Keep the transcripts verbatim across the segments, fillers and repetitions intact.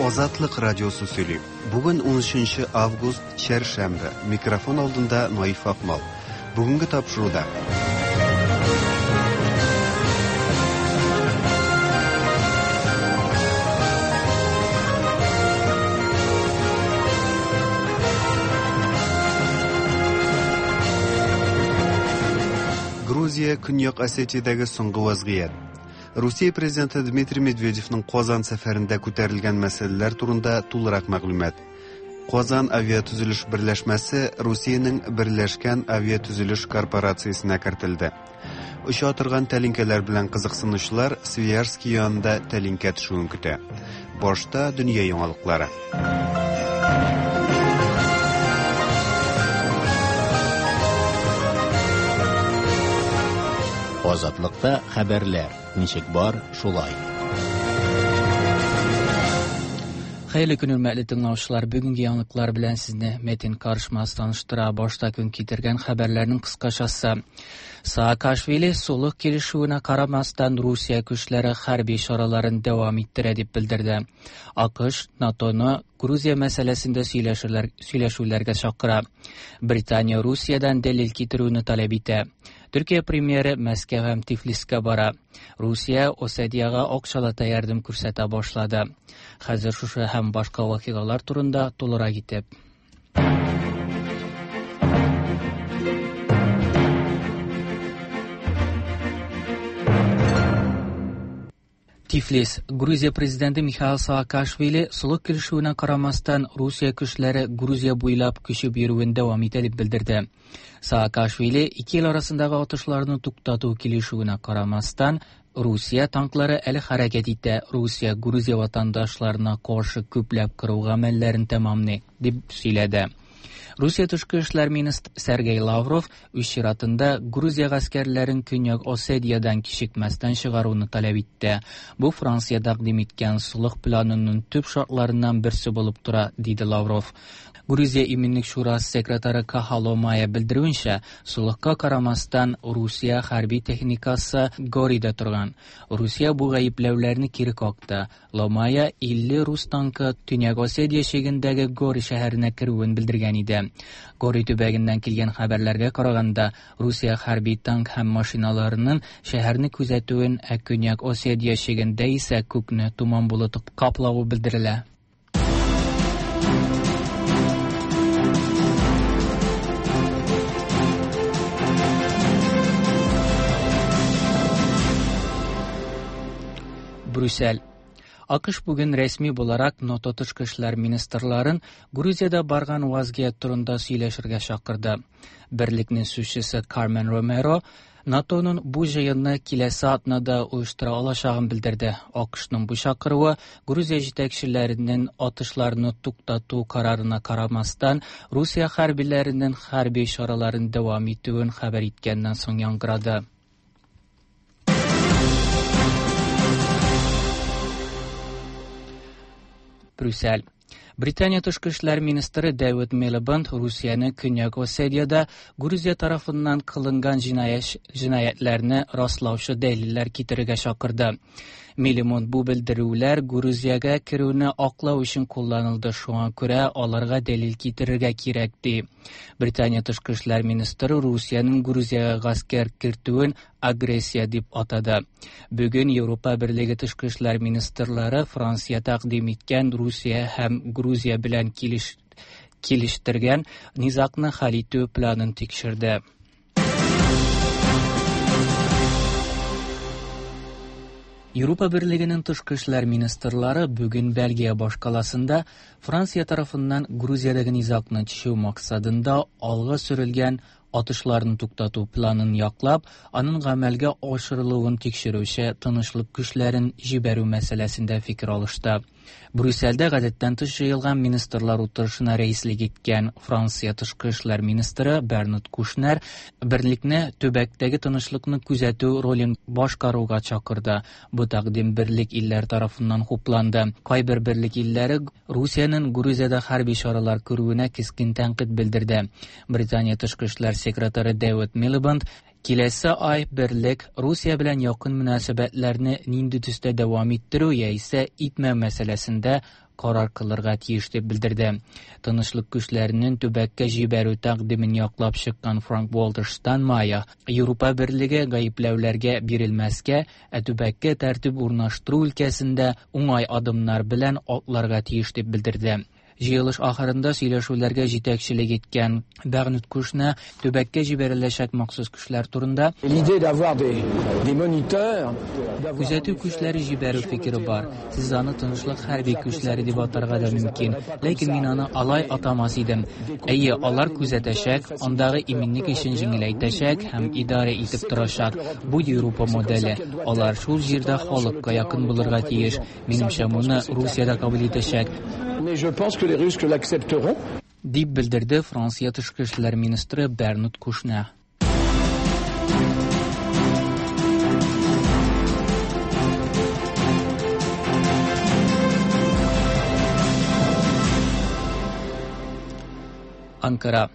Азатлык радиосы сөйли. Бүген унөченче август, чәршәмбе. Микрофон алдында Наиф Акмал. Бүгенге тапшыруда. Грузия, Көньяк Осетиядәге соңгы вазгыять. Русия президенты Дмитрий Медведевның Казан сәфәрендә күтәрелгән мәсьәләләр турында тулырак мәгълүмат. Казан авиатөзелеш берләшмәсе Русиянең Берләшкән авиатөзелеш корпорациясенә кертелде. Оча торган тәлинкәләр белән кызыксынучылар Свияжский янында тәлинкә төшүен көтә. Башта дөнья яңалыклары. Азатлыкта хәбәрләр ничек бар, шулай. Хәерле көн, хөрмәтле тыңлаучылар. Бүгенге яңалыклар белән сезне Метин Карышмаз таныштыра. Башта көн китергән хәбәрләрнең кыскачасы. Саакашвили сулык килешүенә карамастан Русия көчләре хәрби чараларын дәвам иттерә дип белдерде. АКШ НАТОны Грузия мәсьәләсендә сөйләшүләр, сөйләшүләргә чакыра. Британия Русиядән дәлил китерүне таләп итә. Төркия премьеры Мәскәү һәм Тифлискә бара. Русия Осетиягә акчалата ярдәм күрсәтә башлады. Хәзер шушы һәм башка вакыйгалар турында тулырак итеп. Тифлис. Грузия президенты Михаил Саакашвили сулык килешүенә карамастан Русия көчләре Грузия буйлап күчеп йөрүен дәвам итә дип белдерде. Саакашвили ике ил арасындагы атышларны туктату килешүенә карамастан Русия танклары әле хәрәкәт итә, Русия Грузия ватандашларына каршы күпләп кыру гамәлләрен тәмамлый дип сөйләде. Русия тышкы эшләр министры Сергей Лавров үз чиратында Грузия гаскәрләрен Көньяк Осетиядән кичекмәстән чыгаруны таләп итте. Бу Франция тәкъдим иткән сулык планының төп шартларыннан берсе булып тора, диде Лавров. Грузия Иминлек шурасы секретаре Каха Ломая белдерүенчә, сулыкка карамастан Русия хәрби техникасы Горида торган. Русия бу гаепләүләрне кире какты. Ломая илле рус танкы Төньяк Осетия чигендәге Гори шәһәренә керүен белдергән иде. Гори төбәгеннән килгән хәбәрләргә караганда, Русия хәрби танк һәм машиналарының шәһәрне күзәтүен, ә Көньяк Осетия чигендә исә күкне томан болыты каплавы белдерелә. Брюссель. АКШ бүген рәсми буларак НАТО тышкы эшләр министрларын Грузиядә барган вазгыять турында сөйләшергә чакырды. Берлекнең сүзчесе Кармен Ромеро НАТОның бу җыенны киләсе атнада оештыра алачагын белдерде. АКШның бу чакыруы Грузия җитәкчеләренең атышларны туктату карарына карамастан Русия хәрбиләренең хәрби чараларын дәвам итүен хәбәр иткәннән соң яңгырады. Брюссель. Британия тышкы эшләр министры Дэвид Милибанд Русияне Көньяк Осетиядә Грузия тарафыннан кылынган җинаятьләрне раслаучы дәлилләр китерергә чакырды. Милибанд бу белдерүләр Грузиягә керүне аклау өчен кулланылды, шуңа күрә аларга дәлил китерергә кирәк, ди. Британия тышкы эшләр министры Русиянең Грузиягә гаскәр кертүен агрессия дип атады. Бүген Европа Берлеге тышкы эшләр министрлары Франция тәкъдим иткән Русия һәм Грузия белән килеш, килештергән низагны хәл итү планын тикшерде. Европа Берлегенең тышкы эшләр министрлары бүген Бельгия башкаласында Франция тарафыннан Грузиядәге низагны чишү максатында алга сөрелгән атышларны туктату планын яклап, аның гамәлгә ашырылуын тикшерүче тынычлык көчләрен җибәрү мәсьәләсендә фикер алышты. Брюссельдә гадәттән тыш җыелган министрлар утырышына рәислек иткән Франция тышкы эшләр министры Бернард Кушнер берлекне төбәктәге тынычлыкны күзәтү ролен башкаруга чакырды. Бу тәкъдим берлек илләр тарафыннан хупланды. Кайбер берлек илләре Русиянең Грузиядә хәрби чаралар күрүенә кискен тәнкыйть белдерде. Британия тышкы эшләр секретаре Дэвид Милибанд киләсе ай берлек Русия белән якын мөнәсәбәтләрне нинди төстә дәвам иттерү яисә итмәү мәсьәләсендә карар кылырга тиеш дип белдерде. Тынычлык көчләренең төбәккә җибәрү тәкъдимен яклап чыккан Франк-Вальтер Штайнмайер Европа берлеге гаепләүләргә бирелмәскә, ә төбәккә тәртип урнаштыру өлкәсендә уңай адымнар белән атларга тиеш дип белдерде. Җыелыш ахырында сөйләшүләргә җитәкчелек иткән Бернард Кушнер төбәккә җибәреләчәк махсус көчләр турында күзәтү көчләре җибәрү фикере бар. Сез аны тынычлык хәрби көчләре дип атарга да мөмкин, ләкин мин аны алай атамас идем. Әйе, алар күзәтәчәк, андагы иминлек эшен җиңеләйтәчәк һәм идарә итеп торачак. Бу Европа моделе. Алар шул җирдә халыкка якын булырга тиеш. Минемчә, моны Русия дә кабул итәчәк. Mais je pense que les Russes l'accepteront. Дип белдерде Франция тышкы эшләр министры Бернард Кушнер. Анкара.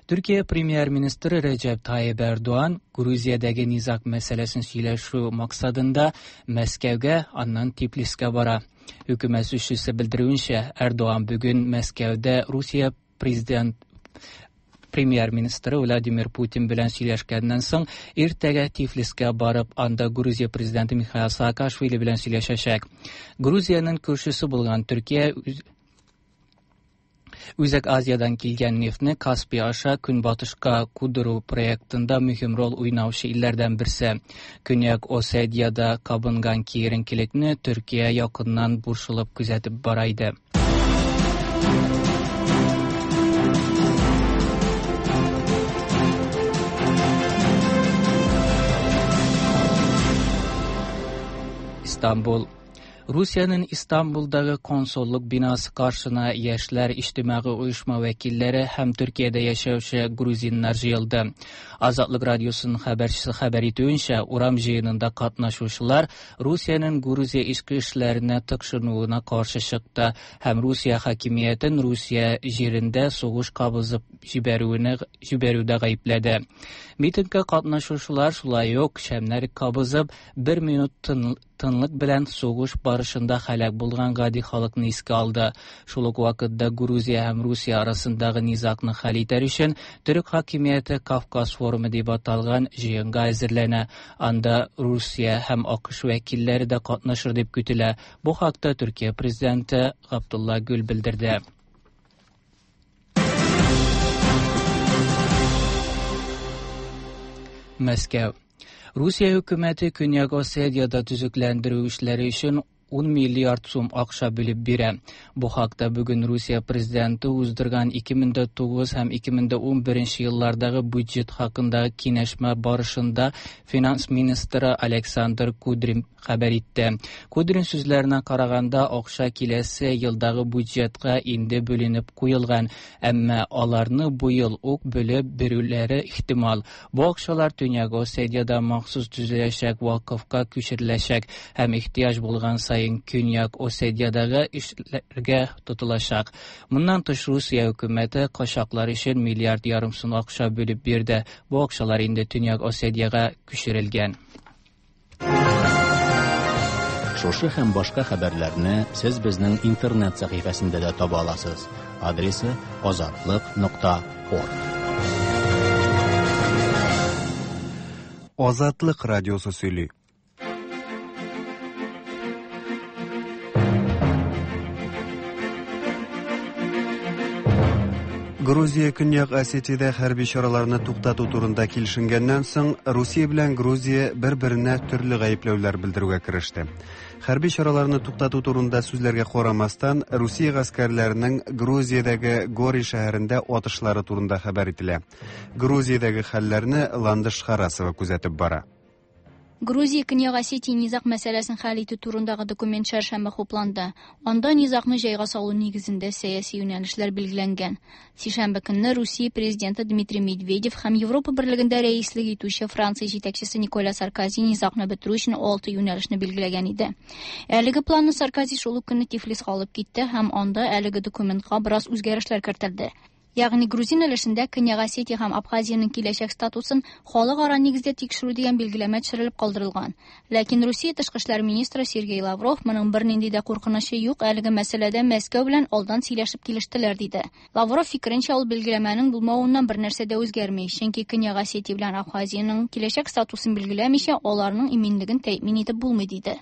Türkiye Premyer-ministri Recep Tayyip Erdoğan, Gruziyadagi nizak мәсьәләсен сөйләшү максатында Мәскәүгә, аннан Тифлискә бара. Хөкүмәт сүзчесе белдерүенчә, Эрдоган бүген Мәскәүдә Русия президент Premyer-ministri Vladimir Putin белән сөйләшкәннән соң иртәгә Тифлискә барып, анда Грузия президенты Михаил Саакашвили белән сөйләшәчәк. Грузиянең күршесе булган Төркия Үзәк Азиядан килгән нефтне Каспий аша көнбатышка кудыру проектында мөһим роль уйнаучы илләрдән берсе. Көньяк Осетиядә кабынган киеренкелекне Төркия якыннан борчылып күзәтеп бара иде. İstanbul. Rusiyanın İstanbuldagı konsolluq binası qarşısına Yaşlar İctimai Uyuşma vəkilləri həm Türkiyədə yaşayışı gruzinlər yığıldı. Azadlıq Radiosunun xəbərçisi xəbər etdiyinə, Uram jıyınında qatnaşıcılar Rusiyanın Gruziya içki işlərinə tıqşınuvuna qarşı çıxdı. Həm Rusiya hakimiyyətinin Rusiya yerində soğuş qabızıb jibərüvünə jibərüvdə qayıblədi. Mitinqə qatnaşıcılar şulay yox, şəmləri qabızıb bir minut tın тынлык белән сугыш барышында һәлак булган гади халыкны искә алды. Шул ук вакытта Грузия һәм Русия арасындагы низагны хәл итәр өчен Төрек хакимияте Кавказ форумы дип аталган җыенга әзерләнә. Анда Русия һәм АКШ вәкилләре дә катнашыр дип көтелә. Бу хакта Төркия президенты Абдулла Гүл белдерде. Мәскәү. Русия хөкүмәте Көньяк Осетиядә төзекләндерү эшләре өчен ун миллиард сум акча бүлеп бирә. Бу хакта бүген Русия президенты уздырган ике мең дә тугыз һәм ике мең дә ун беренче еллардагы бюджет хакындагы киңәшмә барышында финанс министры Александр Кудрин хәбәр итте. Кудрин сүзләренә караганда, акча киләсе елдагы бюджетка инде бүленеп куелган, әмма аларны бу ел ук бүлеп бирүләре ихтимал. Бу акчалар Төньяк Осетиядә махсус төзеләчәк вакыфка күчереләчәк һәм ихтыяҗ булган саен Көньяк Осетиядәге эшләргә тотылачак. Моннан тыш Русия хөкүмәте качаклар өчен миллиард ярым сум акча бүлеп бирде. Бу акчалар инде Төньяк Осетиягә күчерелгән. Шушы һәм башка хәбәрләрне сез безнең интернет сәхифәсендә дә таба аласыз. Адресы азатлык нокта орг. Азатлык радиосы сөйли. Грузия Көньяк Осетиядә хәрби чараларны туктату турында килешенгәннән соң, Русия белән Грузия бер-беренә төрле гаепләүләр белдерүгә кереште. Хәрби чараларны туктату турында сүзләргә карамастан, Русия гаскәрләренең Грузиядәге Гори шәһәрендә атышлары турында хәбәр ителә. Грузиядәге хәлләрне Ландыш Харасова күзәтеп бара. Грузия Көньяк Осетия низаг мәсьәләсен хәл итү турындагы документ чәршәмбе хупланды. Анда низагны җайга салу нигезендә сәяси юнәлешләр билгеләнгән. Сишәмбе көнне Русия президенты Дмитрий Медведев һәм Европа берлегендә рәислек итүче Франция җитәкчесе Николя Саркози низагны бетерү өчен алты юнәлешне билгеләгән иде. Әлеге планны Саркози шул ук көнне Тифлиска алып китте һәм анда әлеге документка бераз үзгәрешләр кертелде. Ягъни грузин өлешендә Көньяк Осетия һәм Абхазиянең киләчәк статусын халыкара нигездә тикшерү дигән билгеләмә төшерелеп калдырылган. Ләкин Русия тышкы эшләр министры Сергей Лавров моның бернинди дә куркынычы юк, әлеге мәсьәләдә Мәскәү белән алдан сөйләшеп килештеләр диде. Лавров фикеренчә, ул билгеләмәнең булмавыннан бер нәрсә дә үзгәрми, чөнки Көньяк Осетия белән Абхазиянең киләчәк статусын билгеләмичә, аларның иминлеген тәэмин итеп булмый диде.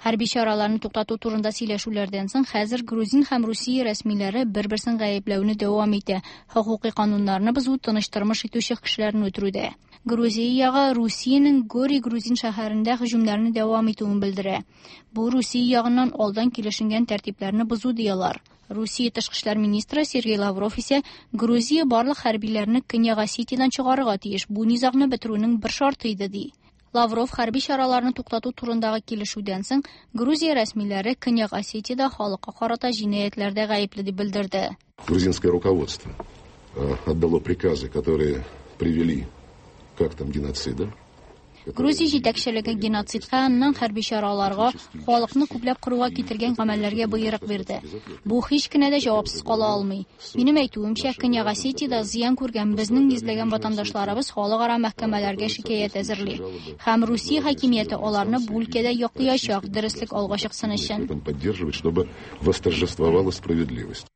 Хәрби чараларны туктату турында сөйләшүләрдән соң хәзер грузин һәм Русия рәсмиләре бер-берсен гаепләүне дәвам итә. Хокукый кануннарны бозу, тыныч тормыш итүче кешеләрне үтерүдә. Грузия ягы Русиянең Гори грузин шәһәрендә һөҗүмнәрне дәвам итүен белдерә. Бу Русия ягыннан алдан килешенгән тәртипләрне бозу диялар. Русия тышкы эшләр министры Сергей Лавров исә Грузия барлык хәрбиләрне Көньяк Осетиядән чыгарырга тиеш. Бу низагны бетерүнең бер шарты иде ди. Лавров хәрби чараларны туктату турындагы килешүдән соң Грузия рәсмиләре Көньяк Осетиядә халыкка карата җинаятьләрдә гаепле дип белдерде. Грузинское руководство отдало приказы, которые привели к актам геноцида. Грузия җитәкчелеге геноцидка, аннан хәрби чараларга, халыкны күпләп кыруга китергән гамәлләргә боерык бирде. Бу һич кенә дә җавапсыз кала алмый. Минем әйтүемчә, Көньяк Осетиядә зыян күргән безнең йөзләгән ватандашларыбыз халыкара мәхкәмәләргә шикаять әзерли. Һәм Русия хакимияте аларны бу өлкәдә яклаячак, дөреслек алга чыксын өчен. Поддерживать, чтобы восторжествовала справедливость.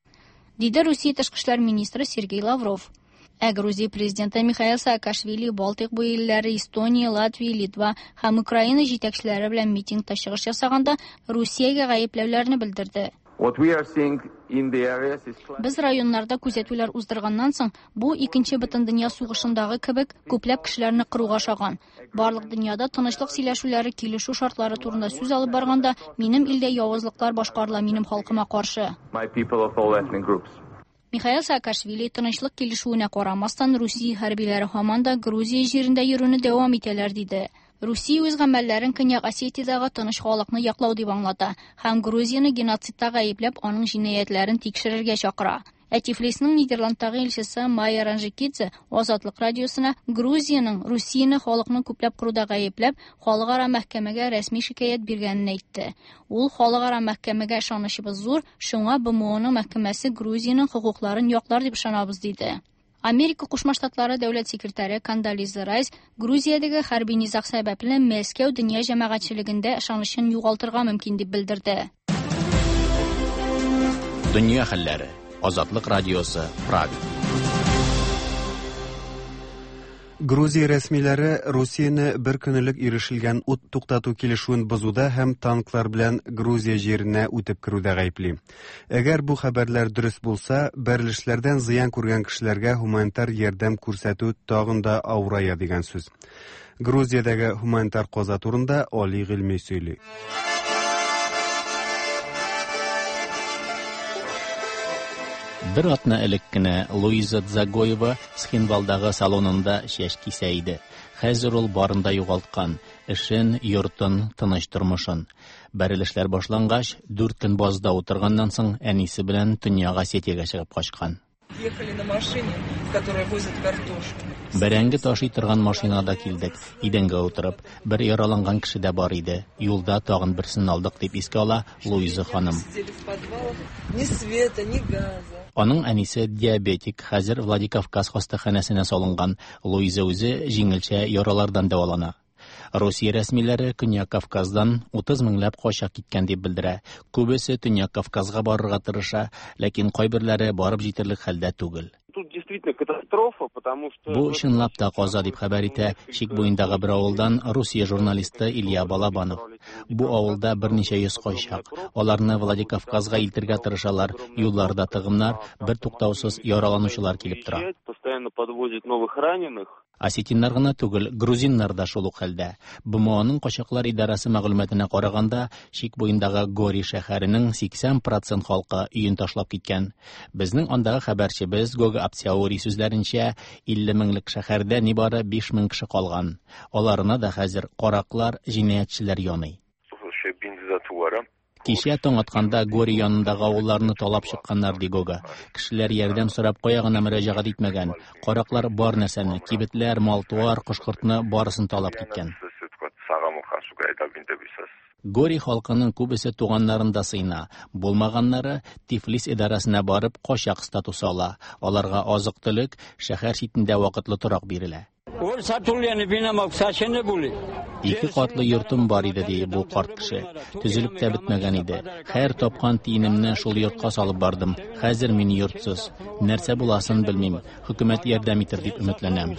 Диде Русия тышкы эшләр министры Сергей Лавров. Ә Грузия президенты Михаил Саакашвили Балтыйк буе илләре Эстония, Латвия, Литва һәм Украина җитәкчеләре белән митингта чыгыш ясаганда Русиягә гаепләүләрне белдерде. Без районнарда күзәтүләр уздырганнан соң, бу икенче бөтендөнья сугышындагы кебек күпләп кешеләрне кыруга ошаган. Барлык дөньяда тынычлык сөйләшүләре, килешү шартлары турында сүз алып барганда, минем илдә явызлыклар башкарыла минем халкыма каршы. Михаил Саакашвили тынычлык килешүенә карамастан Русия хәрбиләре һаман да Грузия җирендә йөрүне дәвам итәләр диде. Русия үз гамәлләрен Көньяк Осетиядәге тыныч халыкны яклау дип аңлата һәм Грузияне геноцидта гаепләп аның җинаятьләрен тикшерергә чакыра. Ә Тифлисның Нидерландтагы илчесе Майя Ранжикидзе Азатлык радиосына Грузиянең Русияне халыкны күпләп кыруда гаепләп халыкара мәхкәмәгә рәсми шикаять биргәнен әйтте. Ул халыкара мәхкәмәгә ышанычыбыз зур, шуңа БМОның мәхкәмәсе Грузиянең хокукларын яклар дип ышанабыз диде. Америка Кушма Штатлары дәүләт секретаре Кондолиза Райс Грузиядәге хәрби низаг сәбәпле Мәскәү дөнья җәмәгатьчелегендә ышанычын югалтырга мөмкин дип белдерде. Дөнья хәлләре. Азатлык радиосы, Прага. Грузия рәсмиләре Русияне бер көн элек ирешелгән ут туктату килешүен бозуда һәм танклар белән Грузия җиренә үтеп керүдә гаепли. Әгәр бу хәбәрләр дөрес булса, бәрелешләрдән зыян күргән кешеләргә гуманитар ярдәм күрсәтү тагын да авырая дигән сүз. Грузиядәге гуманитар каза турында Али Гыйльми сөйли. Бер атна элек кенә Луиза Дзагоева Схинвалдагы салонында чәч кисә иде. Хәзер ул барын да югалткан: эшен, йортын, тыныч тормышын. Бәрелешләр башлангач, дүрт көн базда утырганнан соң әнисе белән Төньяк Осетиягә чыгып качкан. Ехали на машине, в которой возят картошку. Бәрәңге ташый торган машинада килдек. Идәнгә утырып, бер яраланган кеше дә бар иде. Юлда тагын берсен алдык дип искә ала Луиза ханым. Сидели в подвалах, ни света, ни газа. Аның әнисе диабетик, хәзер Владикавказ хастаханәсенә салынган. Луиза үзе җиңелчә яралардан дәвалана. Русия рәсмиләре Көньяк Кавказдан утыз меңләп качак киткән дип белдерә. Күбесе Төньяк Кавказга барырга тырыша, ләкин кайберләре барып җитәрлек хәлдә түгел. Тут действительно катастрофа, потому что Бу чынлап та каза дип хәбәр итә чик буендагы бер авылдан Русия журналисты Илья Балабанов. Бу авылда берничә йөз качак. Аларны Владикавказга илтергә тырышалар. Юлларда тыгымнар, бер туктаусыз яраланучылар килеп тора. Постоянно подвозят новых раненых. Осетиннар гына түгел, грузиннар да шул ук хәлдә. БМОның качаклар идарәсе мәгълүматына караганда, чик буендагы Гори шәһәренең сиксән процент халкы өен ташлап киткән. Безнең андагы хәбәрчебез Гога Апсяури сүзләренчә, илле меңлек шәһәрдә нибары биш мең кеше калган. Аларына да хәзер караклар, җинаятьчеләр яный. Кичә таң атканда Гори янындагы авылларны талап чыкканнар, ди Гога. Кешеләр ярдәм сорап кая гына мөрәҗәгать итмәгән. Караклар бар нәрсәне, кибетләр, мал-туар, кош-кортны барысын талап киткән. Гори халкының күбесе туганнарында сыена, булмаганнары Тифлис идарәсенә барып качак статусы ала. Аларга азык-төлек, шәһәр читендә вакытлы торак бирелә. Ике катлы йортым бар иде, ди бу карт кеше. Төзелеп тә бетмәгән иде. Һәр тапкан тиенемне шул йортка салып бардым. Хәзер мин йортсыз. Нәрсә буласын белмим. Хөкүмәт ярдәм итер дип өметләнәм.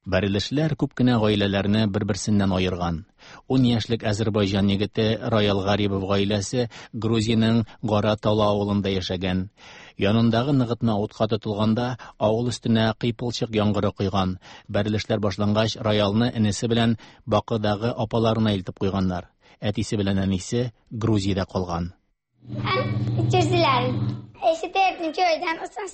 Бәрелешләр күп кенә гаиләләрне бер-берсеннән аерган. Ун яшьлек Азербайҗан егете Роял Гарибов гаиләсе Грузиянең Гара Тала авылында яшәгән. Янындагы ныгытма утка тотылганда авыл өстенә кыйпылчык яңгыры койган. Бәрелешләр башлангач, Роялны энесе белән Бакыдагы апаларына илтеп куйганнар. Әтисе белән әнисе Грузиядә калган.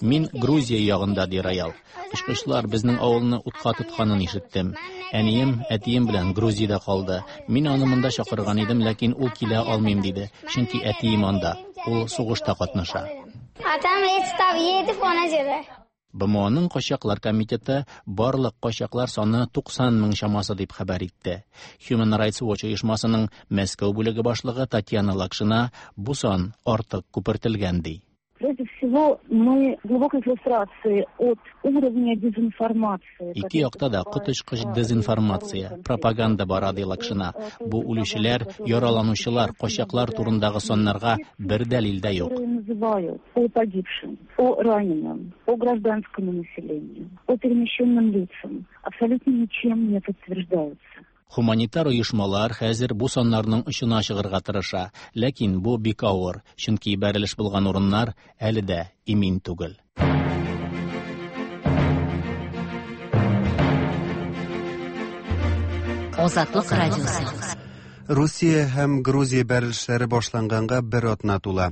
Мин Грузия ягында, ди Роял. Очкычлар безнең авылны утка тотканын ишеттем. Әнием, әтием белән Грузиядә калды. Мин аны монда чакырган идем, ләкин ул килә алмыйм диде. Чөнки әтием анда, ул сугышта катнаша. БМОның качаклар комитеты барлык качаклар саны туксан мең чамасы дип хәбәр итте. Human Rights Watch оешмасының Мәскәү бүлеге башлыгы Татьяна Лакшина бу сан артык күпертелгән ди. Прежде всего, мы в глубокой фрустрации от уровня дезинформации. Ике якта да коточкыч дезинформация, пропаганда бара, ди Лакшина. Бу үлүчеләр, яраланучылар, качаклар турындагы саннарга бер дәлил дә юк. Называют о погибшим, о раненом, о гражданском населении, о перемещенным лицам абсолютно ничем не подтверждаются. Хуманитар оешмалар хәзер бу саннарның очына чыгарга тырыша, ләкин бу бик авыр, чөнки бәрелеш булган урыннар әле дә имин түгел. Азатлык радиосы. Русия һәм Грузия бәрелешләре башланганга бер атна тула.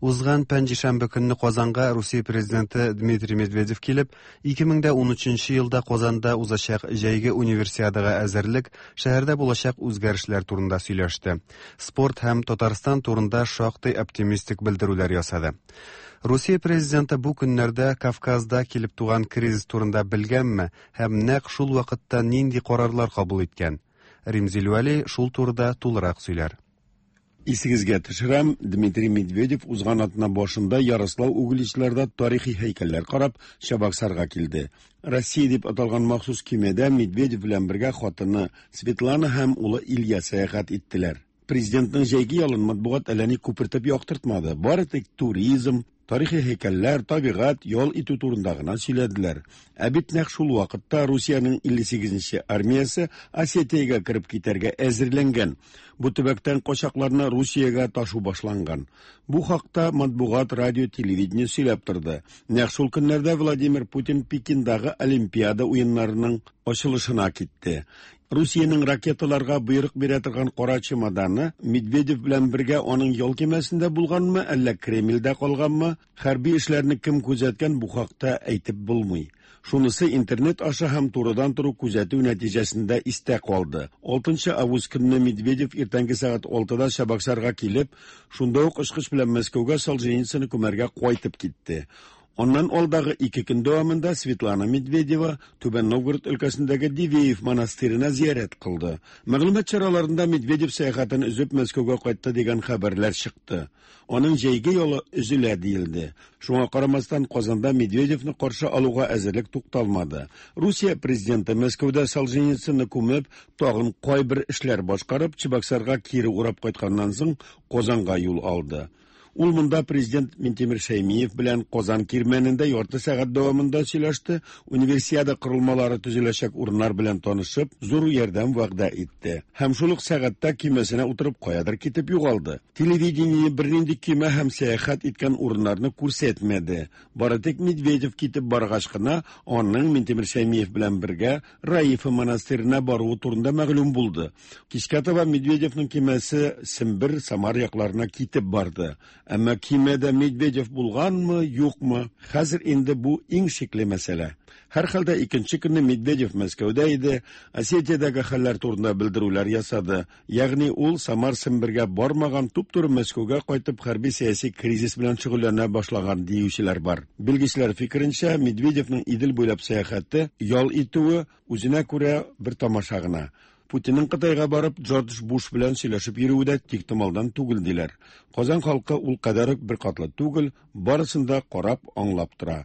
Узган пәнҗешәмбе көнне Казанга Русия президенты Дмитрий Медведев килеп, ике мең дә унөченче елда Казанда узачак җәйге универсиадага әзерлек, шәһәрдә булачак үзгәрешләр турында сөйләште. Спорт һәм Татарстан турында шактый оптимистик белдерүләр ясады. Русия президенты бу көннәрдә Кавказда килеп туган кризис турында белгәнме һәм нәкъ шул вакытта нинди карарлар кабул иткән? Римзил Вәли шул турыда тулырак сөйләр. Исегезгә төшерәм, Дмитрий Медведев узган атна башында Ярослав Угличларда тарихи һәйкәлләр карап Чабаксарга килде. Россия дип аталган махсус көймәдә Медведев белән бергә хатыны Светлана һәм улы Илья сәяхәт иттеләр. Президентның җәйге ялын матбугат әллә ни күпертеп яктыртмады. Бары тик туризм, тарихи һәйкәлләр, табигать, ял итү турында гына сөйләделәр. Ә бит нәкъ шул вакытта Русиянең илле сигезенче армиясе Осетиягә кереп китәргә әзерләнгән. Бу төбәктән качакларны Русиягә ташу башланган. Бу хакта матбугат, радио, телевидение сөйләп торды. Нәкъ шул көннәрдә Владимир Путин Пекиндагы Олимпиада уеннарының ачылышына китте. Русиянең ракеталарга боерык бирә торган кара чемоданы Медведев белән бергә аның ял көймәсендә булганмы, әллә Кремльдә калганмы, хәрби эшләрне кем күзәткән, бу хакта әйтеп булмый. Шунысы интернет аша һәм турыдан туры күзәтү нәтиҗәсендә истә калды. Алтынчы август көнне Медведев иртәнге сәгать алтыда Чабаксарга килеп, шунда ук очкыч белән Мәскәүгә Солженицынны күмәргә кайтып китте. Аннан алдагы ике көн дәвамында Светлана Медведева Түбән Новгород өлкәсендәге Дивеев монастырена зиярәт кылды. Мәгълүмат чараларында Медведев сәяхәтен өзеп Мәскәүгә кайтты дигән хәбәрләр чыкты. Аның җәйге ялы өзелә диелде. Шуңа карамастан Казанда Медведевны каршы алуга әзерлек тукталмады. Русия президенты Мәскәүдә Солженицынны күмеп, тагын кайбер эшләр башкарып, Чабаксарга кире урап кайтканнан соң Казанга юл алды. Ул монда президент Минтимер Шәймиев белән Казан кирмәнендә ярты сәгать дәвамында сөйләште, универсиада корылмалары төзеләчәк урыннар белән танышып, зур ярдәм вәгъдә итте. Һәм шул ук сәгатьтә көймәсенә утырып каядыр китеп югалды. Телевидение бернинди көймә һәм сәяхәт иткән урыннарны күрсәтмәде. Бары тик Медведев китеп баргач кына аның Минтимер Шәймиев белән бергә Раифа монастырена баруы турында мәгълүм булды. Кичкә таба Медведевның көймәсе Сембер, Самар якларына китеп барды. Әмма көймәдә Медведев булганмы, юкмы? Хәзер инде бу иң шикле мәсьәлә. Һәр хәлдә икенче көнне Медведев Мәскәүдә иде, Осетиядәге хәлләр турында белдерүләр ясады. Ягъни ул Самар Сембергә бармаган, туп-туры Мәскәүгә кайтып хәрби сәяси кризис белән шөгыльләнә башлаган диючеләр бар. Белгечләр фикеренчә, Медведевның Идел буйлап сәяхәте, ял итүе үзенә күрә бер тамаша гына. Путинның Кытайга барып Джордж Буш белән сөйләшеп йөрүе дә тиктомалдан түгел диләр. Казан халкы ул кадәр үк беркатлы түгел, барысын да карап, аңлап тора.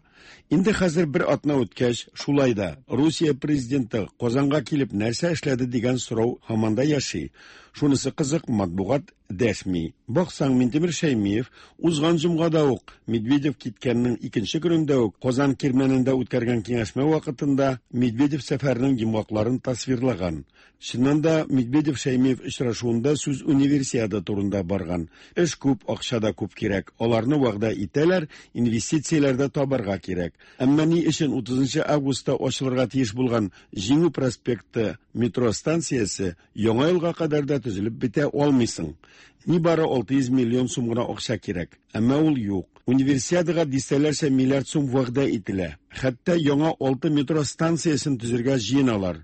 Инде хәзер бер атна үткәч, шулай да Русия президенты Казанга килеп нәрсә эшләде дигән сорау һаман да яши. Шунысы кызык, матбугат дәшми. Баксаң, Минтимер Шәймиев узган җомгада ук Медведев киткәннең икенче көнендә үк Казан Кирмәнендә үткәргән киңәшмә вакытында Медведев сәфәренең йомгакларын тасвирлаган. Чыннан да Медведев Шәймиев очрашуында сүз универсиада турында барган. Эш күп, акча да күп кирәк. Аларны вәгъдә итәләр, инвестицияләр дә табарга кирәк. Әмма ни өчен утызынчы августта ачылырга тиеш булган Җиңү проспекты метро станциясе яңа елга кадәр дә төзелеп бетә алмыйсың? Нибары алты йөз миллион сум гына акча кирәк. Әмма ул юк. Универсиадага дистәләрчә миллиард сум вәгъдә ителә. Хәтта яңа алты метро станциясен төзергә җыеналар.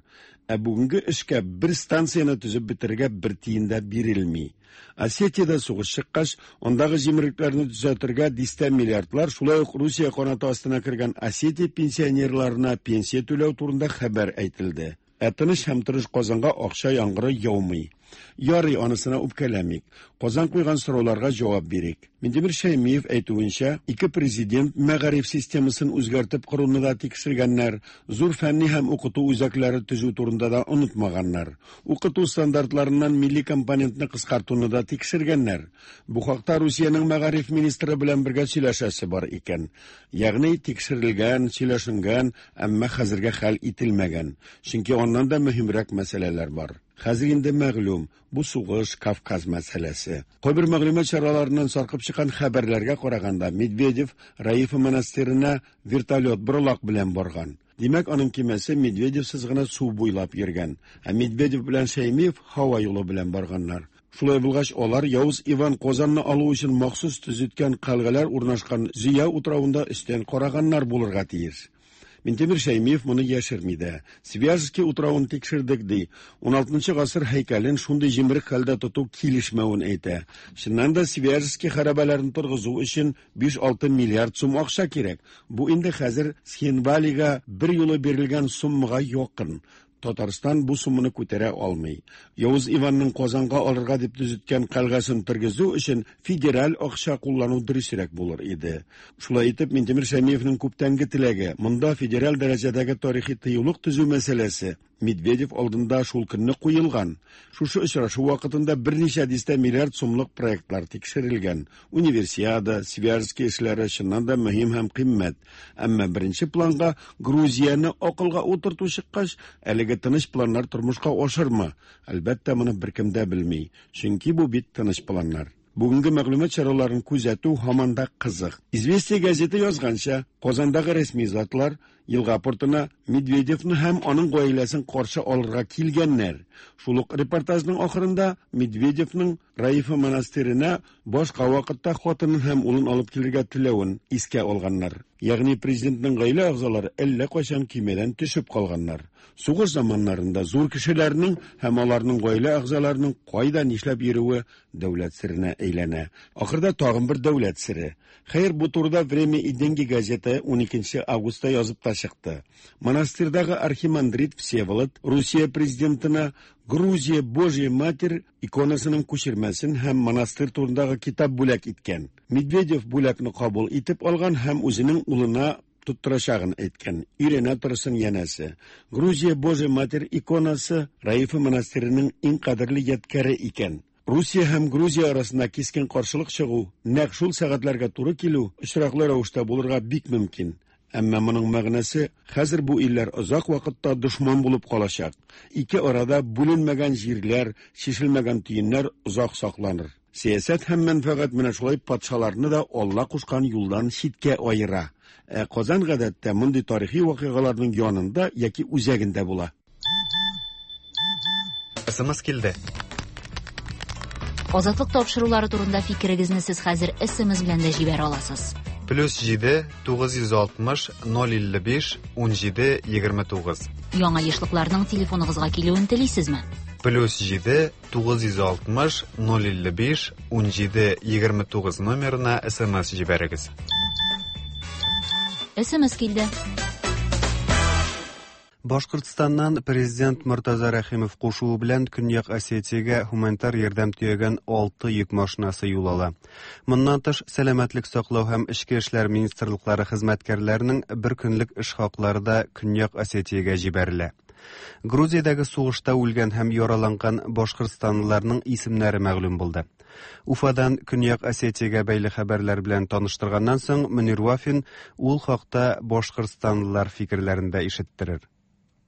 Ә бүгенге эшкә бер станцияне төзеп бетерергә бер тиен дә бирелми. Осетиядә сугыш чыккач, андагы җимерлекләрне төзәтергә дистә миллиардлар, шулай ук Русия канаты астына кергән Осетия пенсионерларына пенсия түләү турында хәбәр әйтелде. Ә тыныч һәм тырыш Казанга акча яңгыры яумый. Ярый, анысына үпкәләмик. Казан куйган сорауларга җавап бирик. Минтимер Шәймиев әйтүенчә, ике президент мәгариф системасын үзгәртеп коруны да тикшергәннәр, зур фәнни һәм укыту үзәкләре төзү турында да онытмаганнар. Укыту стандартларыннан милли компонентны кыскартуны да тикшергәннәр. Бу хакта Русиянең мәгариф министры белән бергә сөйләшәсе бар икән. Ягъни тикшерелгән, сөйләшенгән, әмма хәзергә хәл ителмәгән. Чөнки аннан да мөһимрәк мәсьәләләр бар. Хәзер инде мәгълүм, бу сугыш Кавказ мәсьәләсе. Кайбер мәгълүмат чараларыннан саркып чыккан хәбәрләргә караганда, Медведев Раифа монастырена вертолет борылак белән барган. Димәк, аның кимәсе Медведевсез гына су буйлап йөргән, ә Медведев белән Шәймиев һава юлы белән барганнар. Шулай булгач, алар Явыз Иван Казанны алу өчен махсус төзеткән калгалар урнашкан Зөя утравында өстән караганнар булырга тиеш. Минтимер Шәймиев моны яшерми дә. Свияжский утравын тикшердек ди. ун алтынчы гасыр һәйкәлен шундый җимерек хәлдә тоту килешмәвен әйтә. Чыннан да Свияжский хәрабәләрен торгызу өчен биш-алты миллиард сум акча кирәк. Бу инде хәзер Схинвалига бер юлы бирелгән суммага якын. Татарстан бу сумманы күтәрә алмый. Явыз Иванның Казанга алырга дип төзеткән калгасын тергезү өчен федераль акча куллану дөресрәк булыр иде. Шулай итеп, Минтимер Шәймиевнең күптәнге теләге монда федераль дәрәҗәдәге тарихи тыюлык төзү мәсьәләсе Медведев алдында шул көнне куелган. Шушы очрашу вакытында берничә дистә миллиард сумлык проектлар тикшерелгән. Универсиада, Свияжский эшләре чыннан да мөһим һәм кыйммәт. Әмма беренче планга Грузияне акылга утырту чыккач, әлеге тыныч планнар тормышка ашырмы? Әлбәттә, моны беркем дә белми. Чөнки бу бит тыныч планнар. Бүгенге мәгълүмат чараларын күзәтү һаман да кызык. Известия газеты язганча, Казандагы рәсми затлар елга портына Медведевны һәм аның гаиләсен каршы алырга килгәннәр. Шул ук репортажның ахырында Медведевның Раифа монастырена башка вакытта хатынын һәм улын алып килергә теләвен искә алганнар. Ягъни президентның гаилә әгъзалары әллә кайчан кимәдән төшеп калганнар. Сугыш заманнарында зур кешеләрнең һәм аларның гаилә әгъзаларының кайда нишләп йөрүе дәүләт серенә әйләнә. Ахырда тагын бер дәүләт сере. Хәер, бу турыда Время и деньги газеты ун икенче августта язып та чыкты. Монастырьдагы архимандрит Всеволод Русия президентына Грузия Божья Матерь иконасының күчермәсен һәм монастырь турындагы китап бүләк иткән. Медведев бүләкне кабул итеп алган һәм үзенең улына тоттырачагын әйткән. Өйрәнә торсын янәсе. Грузия Божья Матерь иконасы Раифа монастыреның иң кадерле ядкәре икән. Русия һәм Грузия арасында кискен каршылык чыгу, нәкъ шул сәгатьләргә туры килү очраклы рәвештә булырга бик мөмкин. Әмма моның мәгънәсе хәзер бу илләр озак вакытта дошман булып калачак. Ике арада бүленмәгән җирләр, чишелмәгән төеннәр озак сакланыр. Сәясәт һәм мәнфәгать менә шулай патшаларны да Алла кушкан юлдан читкә аера. Ә Казан гадәттә мондый тарихи вакыйгаларның янында яки үзәгендә була. Эс эм эс килде. Азатлык тапшырулары турында фикерегезне сез хәзер эс эм эс белән дә җибәрә аласыз. Плюс җиде, тугыз йөз алтмыш, ноль илле биш, ун җиде, егерме тугыз. Яңа ешлыкларның телефоныгызга килүен телисезме? Плюс җиде, тугыз йөз алтмыш, ноль илле биш, ун җиде, егерме тугыз номерына эс эм эс җибәрегез. эс эм эс килде. Башкортстаннан президент Мортаза Рәхимов кушуы белән Көньяк Осетиягә гуманитар ярдәм төягән алты йөк машинасы юл ала. Моннан тыш, сәламәтлек саклау һәм эчке эшләр министрлыклары хезмәткәрләренең бер көнлек эш хаклары да Көньяк Осетиягә җибәрелә. Грузиядәге сугышта үлгән һәм яраланган башкортстанлыларның исемнәре мәгълүм булды. Уфадан Көньяк Осетиягә бәйле хәбәрләр белән таныштырганнан соң Мөнир Вафин ул хакта башкортстанлылар фикерләрен дә ишеттерер.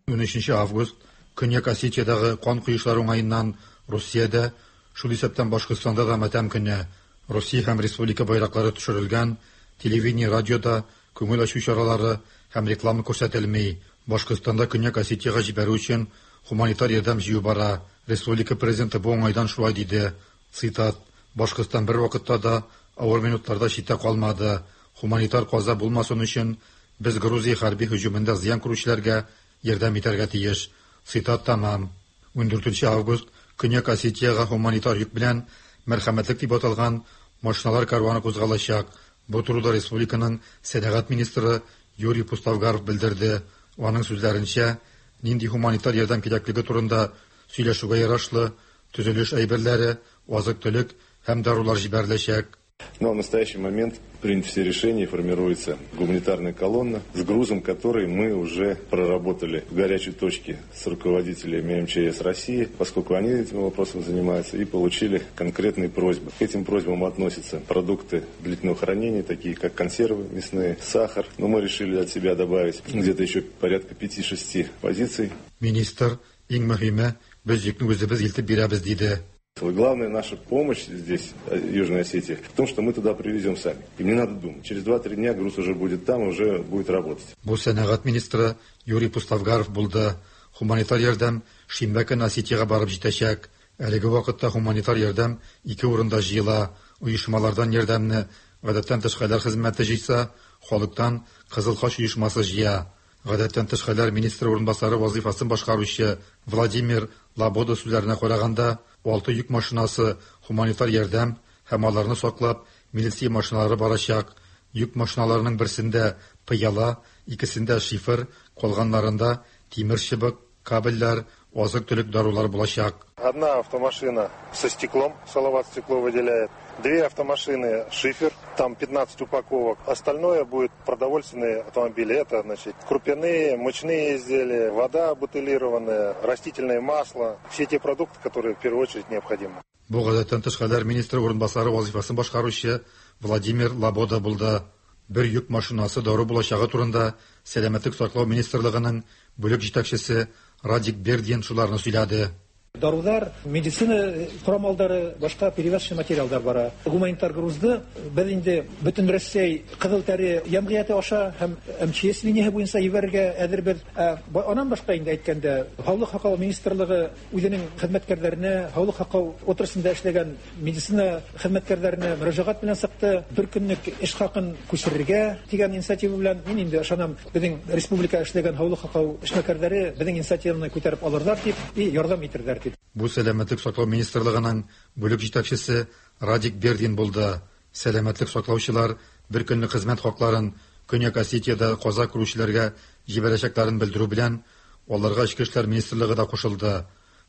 Унөченче август Көньяк Осетиядәге кан коешлар уңаеннан Русиядә, шул исәптән Башкортстанда да матәм көне. Русия һәм республика байраклары төшерелгән, телевидение, радиода күңел ачу чаралары һәм реклама күрсәтелми. Башкортстанда Көньяк Осетиягә җибәрү өчен гуманитар ярдәм җыю бара. Республика президенты бу уңайдан шулай диде. Цитат: Башкортстан бер вакытта да авыр минутларда читтә калмады. Гуманитар каза булмасын өчен без Грузия хәрби һөҗүмендә зыян күрүчеләргә ярдәм итәргә тиеш. Цитат тәмам. Ундүртенче август Көньяк Осетиягә гуманитар йөк белән мәрхәмәтлек дип аталган машиналар карваны кузгалачак. Бу турыда республиканың сәнәгать министры Юрий Пустовгаров белдерде. Аның сүзләренчә, нинди гуманитар ярдәм кирәклеге турында сөйләшүгә ярашлы төзелеш әйберләре, азык-төлек һәм дарулар җибәреләчәк. Но в настоящий момент приняты все решения, формируется гуманитарная колонна с грузом, который мы уже проработали в горячей точке с руководителями эм че эс России, поскольку они этим вопросом занимаются, и получили конкретные просьбы. К этим просьбам относятся продукты длительного хранения, такие как консервы мясные, сахар. Но мы решили от себя добавить где-то еще порядка пяти-шести позиций. Министр, иң мөһиме, без йөкне үзебез илтеп бирәбез, диде. Главная наша помощь здесь, Южной Осетии, в том, что мы туда привезем сами. Им не надо думать. Через два-три дня груз уже будет там, уже будет работать. Бу сәнәгать министры Юрий Пустовгаров булды. Гуманитар ярдәм шимбә көн Осетиягә барып җитәчәк. Әлеге вакытта гуманитар ярдәм ике урында җыела. Оешмалардан ярдәмне гадәттән тыш хәлләр хезмәте җыйса, халыктан Кызыл Хач оешмасы җыя. Гадәттән тыш хәлләр министры урынбасары вазифасын башкаручы Владимир Лабода сүзләренә караганда, алты йөк машинасы гуманитар ярдәм һәм аларны саклап милиция машиналары барачак. Йөк машиналарының берсендә пыяла, икесендә шифер, калганнарында тимер чыбык, кабельләр, азык-төлек дарулар булачак. Одна автомашина со стеклом, Салават стекло выделяет. Две автомашины шифер, там пятнадцать упаковок. Остальное будет продовольственные автомобили. Это, значит, крупяные, мучные изделия, вода бутылированная, растительное масло. Все те продукты, которые в первую очередь необходимы. Бу гадәттән тыш хәлләр министры урынбасары вазифасын башкаручы Владимир Лабода булды. Бер йөк машинасы дару булачагы турында Сәламәтлек саклау министрлыгының бүлек җитәкчесе Радик Бердин шуларны сөйләде. Дарулар, медицина корамалдары, башка перевязочный материалдар бара. Гуманитар грузды без инде бөтен Россия Кызыл Тәре җәмгыяте аша һәм эм че эс линияһы буенча җибәрергә әзербез. Аннан башка инде әйткәндә, Һаулык һаклау министрлыгы үзенең хезмәткәрләренә, һаулык һаклау отраслендә эшләгән медицина хезмәткәрләренә мөрәҗәгать белән чыкты. Бер көнлек эш хакын күчерергә дигән инициатива белән мин инде ышанам, безнең республика эшләгән һаулык һаклау эшмәкәрләре безнең инициативаны күтәреп алырлар дип и ярдәм итерләр дип. Бу Сәламәтлек саклау министрлыгының бүлек җитәкчесе Радик Бердин булды. Сәламәтлек саклаучылар бер көнлек хезмәт хакларын Көньяк Осетиядә каза күрүчеләргә җибәрәчәкләрен белдерү белән аларга Эчке эшләр министрлыгы да кушылды.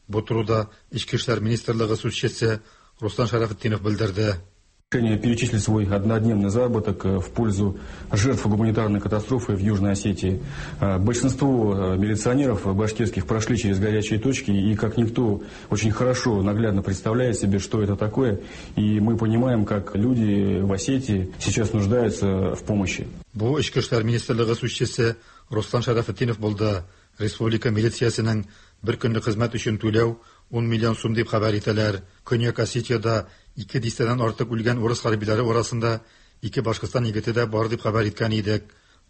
Бу турыда Эчке эшләр министрлыгы сүзчесе Руслан Шарафетдинов белдерде. Решение перечислить свой однодневный заработок в пользу жертв гуманитарной катастрофы в Южной Осетии. Большинство милиционеров башкирских прошли через горячие точки и, как никто, очень хорошо, наглядно представляет себе, что это такое. И мы понимаем, как люди в Осетии сейчас нуждаются в помощи. Бу Эчке эшләр министрлыгы сүзчесе Руслан Шарафетдинов булды. Республика милициясенең бер көнлек хезмәт өчен түләү ун миллион сум дип хәбәр итәләр. Көньяк Осетиядә ике дистәдән артык үлгән урыс хәрбиләре арасында ике Башкортстан егете дә бар дип хәбәр иткән идек.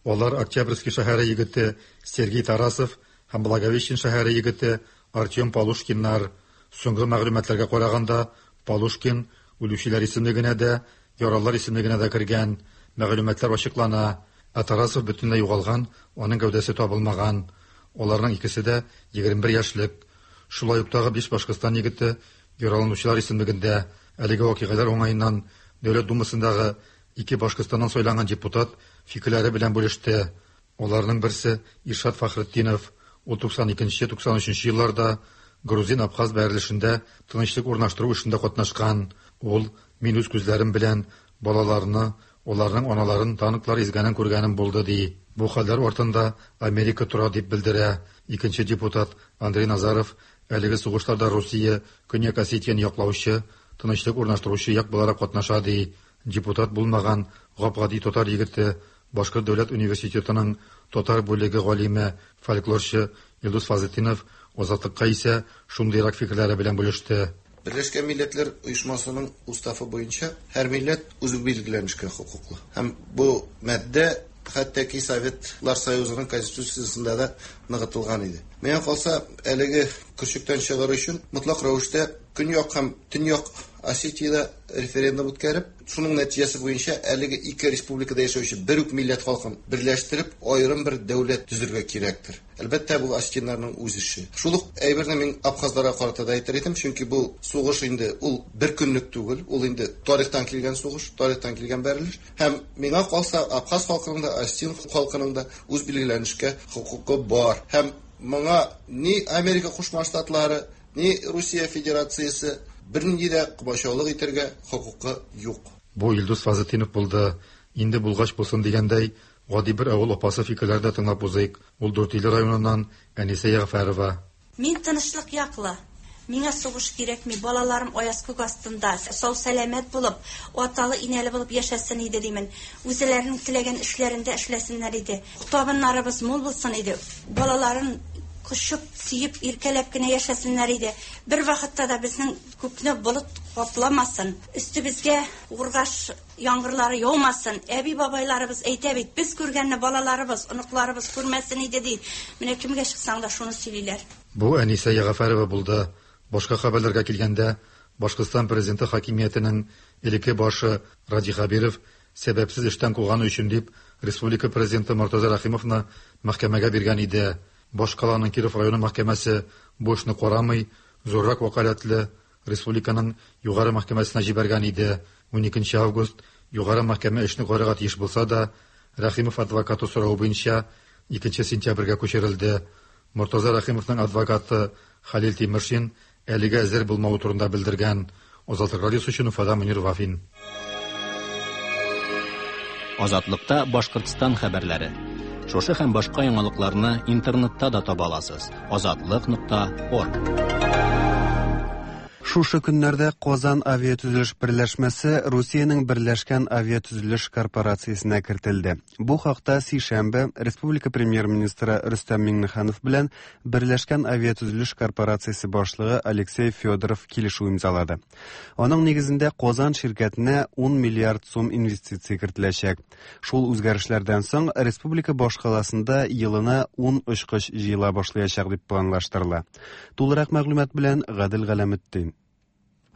Алар Октябрьский шәһәре егете Сергей Тарасов һәм Благовещен шәһәре егете Артем Полушкиннар. Соңгы мәгълүматларга караганда, Полушкин үлүчеләр исемлегенә дә, яралылар исемлегенә дә кергән. Мәгълүматлар ачыклана. Ә Тарасов бөтенләй югалган, аның гәүдәсе табылмаган. Аларның икесе дә егерме бер яшьлек. Шулай ук тагы биш Башкортстан егете яраланучылар исемлегендә. Әлеге вакыйгалар уңаеннан Дәүләт Думасындагы ике Башкортстаннан сайланган депутат фикерләре белән бүлеште. Аларның берсе Иршат Фахретдинов. Ул туксан икенче, туксан өченче елларда грузин-абхаз бәрелешендә тынычлык урнаштыру эшендә катнашкан. Ул мин үз күзләрем белән балаларны, аларның аналарын танклар изгәнен күргәнем булды, ди. Бу хәлләр артында Америка тора дип белдерә. Икенче депутат Андрей Назаров әлеге сугышларда Русия Көньяк Осетияне яклаучы, тынычлык урнаштыручы як буларак катнаша, ди. Депутат булмаган гап-гади татар егете, Башкорт дәүләт университетының татар бүлеге галиме, фольклорчы Илдус Фазлетдинов Азатлыкка исә шундыйрак фикерләре белән бүлеште. Берләшкән Милләтләр Оешмасының уставы буенча һәр милләт үз билгеләнешкә хокуклы. Һәм бу маддә хәтта ки Советлар Союзының конституциясендә дә ныгытылган иде. Миңа калса, әлеге көрчектән чыгар өчен мотлак рәвештә Көньяк һәм Төньяк Осетиядә референдум үткәреп, шуның нәтиҗәсе буенча әлеге ике республикада яшәүче бер үк милләт халкын берләштереп, аерым бер дәүләт төзергә кирәктер. Әлбәттә, бу осетиннарның үз эше. Шул ук әйберне мин абхазларга карата да әйтер идем, чөнки бу сугыш инде ул бер көнлек түгел, ул инде тарихтан килгән сугыш, тарихтан килгән бәрелеш. Һәм миңа калса, абхаз халкының да, осетин халкының да үз билгеләнешкә хокукы бар. Һәм моңа ни Америка Кушма Штатлары, ни Русия Федерациясе бернинди дә комачаулык итәргә хокукы юк. Бу Илдус Фазлетдинов булды. Инде булгач булсын дигәндәй, гади бер авыл апасы фикерләрен дә тыңлап узыйк. Ул Дүртөйле районыннан Әнисә Ягъфәрова. Мин тынычлык яклы. Миңа сугыш кирәкми. Балаларым аяз күк астында сау сәламәт булып, аталы инәле булып яшәсен иде димен. Үзләренең теләгән эшләрендә эшләсеннәр иде. Табыннарыбыз мул булсын иде. Балаларын кочып, сөеп, иркәләп кенә яшәсеннәр иде. Бер вакытта да безнең күкне болыт капламасын, өстебезгә ургаш яңгырлары яумасын. Әби бабайларыбыз әйтә бит, без күргәнне балаларыбыз, оныкларыбыз күрмәсен иде ди. Менә кемгә чыксаң да шуны сөйлиләр. Бу Әнисә Ягъфәрова булды. Башка хәбәрләргә килгәндә, Башкортстан президенты хакимиятенең элекке башы Радий Хәбиров сәбәпсез эштән куганы өчен дип республика президенты Мортаза Рәхимовны мәхкәмәгә биргән иде. Башкаланың Киров районы мәхкәмәсе бу эшне карамый, зуррак вәкаләтле республиканың югары мәхкәмәсенә җибәргән иде. уникенче август югары мәхкәмә эшне карарга тиеш булса да, Рәхимов адвокаты соравы буенча икенче сентябрьгә күчерелде. Мортаза Рәхимовның адвокаты Халил Тимершин әлегә әзер булмавы турында белдергән. Азатлык радиосы өчен Уфадан Мөнир Вафин. Азатлыкта Башкортстан хәбәрләре. Шушы һәм башка яңалыкларны интернетта да таба аласыз. Азатлык нокта орг. Шушы көннәрдә Казан авиатөзелеш берләшмәсе Русиянең Берләшкән авиатөзелеш корпорациясенә кертелде. Бу хакта сишәмбе Республика премьер-министры Рөстәм Миңнеханов белән Берләшкән авиатөзелеш корпорациясе башлыгы Алексей Федоров килешү имзалады. Аның нигезендә Казан ширкәтенә ун миллиард сум инвестиция кертеләчәк. Шул үзгәрешләрдән соң республика башкаласында елына ун очкыч җыела башлаячак дип планлаштырыла. Тулырак мәгълүмат белән Гадел Галәметдин.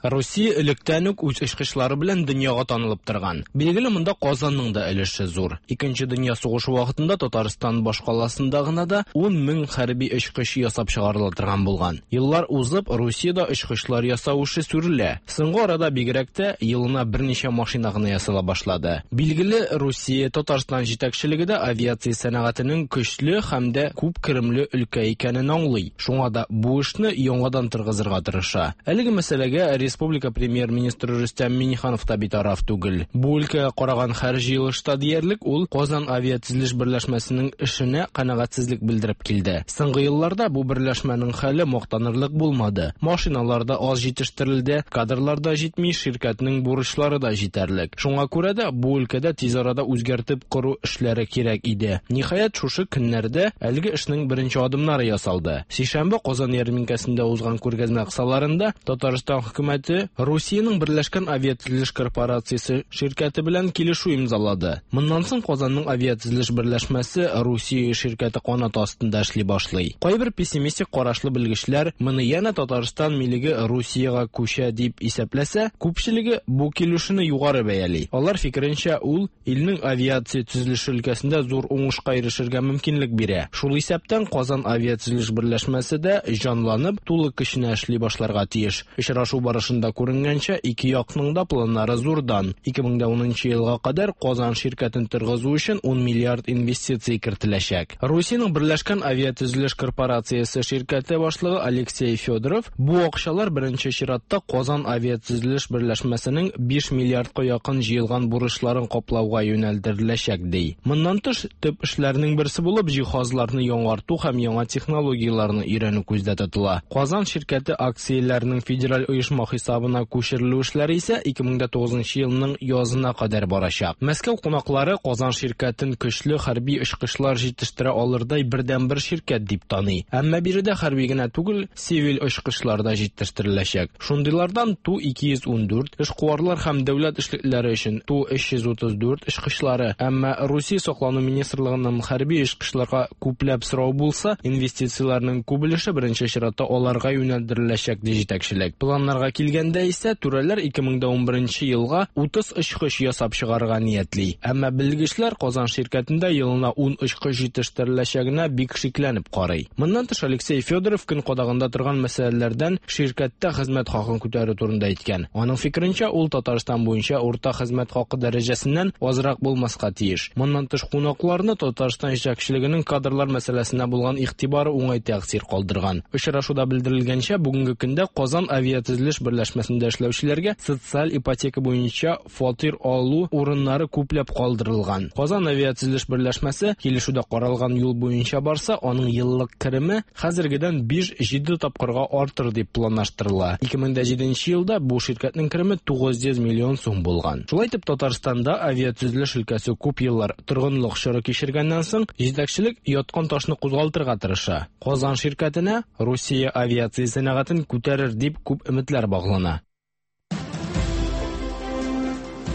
Русия электән үк үз очкычлары белән дөньяга танылып торган. Билгеле, монда Казанның да өлеше зур. Икенче дөнья сугышы вакытында Татарстан башкаласында гына да ун мең хәрби очкыч ясап чыгарыла торган булган. Еллар узып, Русиядә очкычлар ясау эше сүрелә. Соңгы арада бигрәк тә елына берничә машина гына ясала башлады. Билгеле, Русия Татарстан җитәкчелеге дә авиация сәнәгатенең көчле һәм дә күп керемле өлкә икәнен аңлый. Шуңа да бу эшне яңадан торгызырга тырыша. Әлеге мәсьәләгә Республика премьер-министры Рөстәм Миңнеханов та битараф түгел. Бу өлкәгә караган һәр җыелышта диярлек ул Казан авиатөзелеш берләшмәсенең эшенә канәгатьсезлек белдереп килде. Соңгы елларда бу берләшмәнең хәле мактанырлык булмады. Машиналар да аз җитештерелде, кадрлар да җитми, ширкәтнең бурычлары да җитәрлек. Шуңа күрә дә бу өлкәдә тиз арада үзгәртеп кору эшләре кирәк иде. Ниһаять, шушы көннәрдә әлеге эшнең беренче адымнары ясалды. Сишәмбе Казан ярминкәсендә узган күргәзмә кысаларында Татарстан хөкүмәте Русиянең Берләшкән авиатөзелеш корпорациясе ширкәте белән килешү имзалады. Моннан соң Казанның авиатөзелеш берләшмәсе Русия ширкәте канаты астында эшли башлый. Кайбер пессимистик карашлы белгечләр моны янә Татарстан милеге Русиягә күчә дип исәпләсә, күпчелеге бу килешүне югары бәяли. Алар фикеренчә, ул илнең авиация төзелеше өлкәсендә зур уңышка ирешергә мөмкинлек бирә. Шул исәптән Казан авиатөзелеш берләшмәсе дә җанланып, тулы көченә эшли башларга тиеш. Очрашу барышында җыелышында күренгәнчә, ике якның да планнары зурдан. ике мең дә унынчы елга кадәр Казан ширкәтен торгызу өчен ун миллиард инвестиция кертеләчәк. Русиянең Берләшкән авиатөзелеш корпорациясе ширкәте башлыгы Алексей Федоров бу акчалар беренче чиратта Казан авиатөзелеш берләшмәсенең биш миллиардка якын җыелган бурычларын каплауга юнәлдереләчәк ди. Моннан тыш, төп эшләрнең берсе булып җиһазларны яңарту һәм яңа технологияләрне өйрәнү күздә тотыла. Казан ширкәте акцияләренең федераль оешма хисабына күчерелү эшләре исә ике мең дә тугызынчы елның язына кадәр барачак. Мәскәү кунаклары Казан ширкәтен көчле хәрби очкычлар җитештерә алырдай бердәнбер ширкәт дип таный. Әмма биредә хәрби генә түгел, сивил очкычлар да җитештереләчәк. Шундыйлардан Ту ике йөз ун дүрт, эшкуарлар һәм дәүләт эшлекләре өчен Ту өч йөз утыз дүрт очкычлары. Әмма Русия саклану министрлыгының хәрби очкычларга күпләп сорау булса, инвестицияләрнең күп өлеше беренче чиратта аларга юнәлдереләчәк ди җитәкчелек. Планнарга килгәндә исә, түрәләр ике мең дә унберенче елга утыз очкыч ясап чыгарырга ниятли. Әмма белгечләр Казан ширкәтендә елына ун очкыч җитештереләчәгенә бик шикләнеп карый. Моннан тыш, Алексей Федоров көн кадагында торган мәсьәләләрдән ширкәттә хезмәт хакын күтәрү турында әйткән. Аның фикеренчә, ул Татарстан буенча урта хезмәт хакы дәрәҗәсеннән азрак булмаска тиеш. Моннан тыш, кунакларны Татарстан җитәкчелегенең кадрлар мәсьәләсенә булган игътибары уңай тәэсир калдырган. Очрашуда белдерелгәнчә, бүгенге көндә Казан авиатөзелеш берләшмәсендә эшләүчеләргә социаль ипотека буенча фатир алу урыннары күпләп калдырылган. Казан авиатөзелеш берләшмәсе килешүдә каралган юл буенча барса, аның еллык кереме хәзергедән биш-җиде тапкырга артыр дип планлаштырыла. ике мең дә җиденче елда бу ширкәтнең кереме тугыз йөз миллион сум булган. Шулай итеп, Татарстанда авиатөзелеш өлкәсе күп еллар торгынлык чоры кичергәннән соң, җитәкчелек яткан ташны кузгалтырга тырыша. Казан ширкәтенә Русия авиация сәнәгатен күтәрер дип күп өметләр баглана.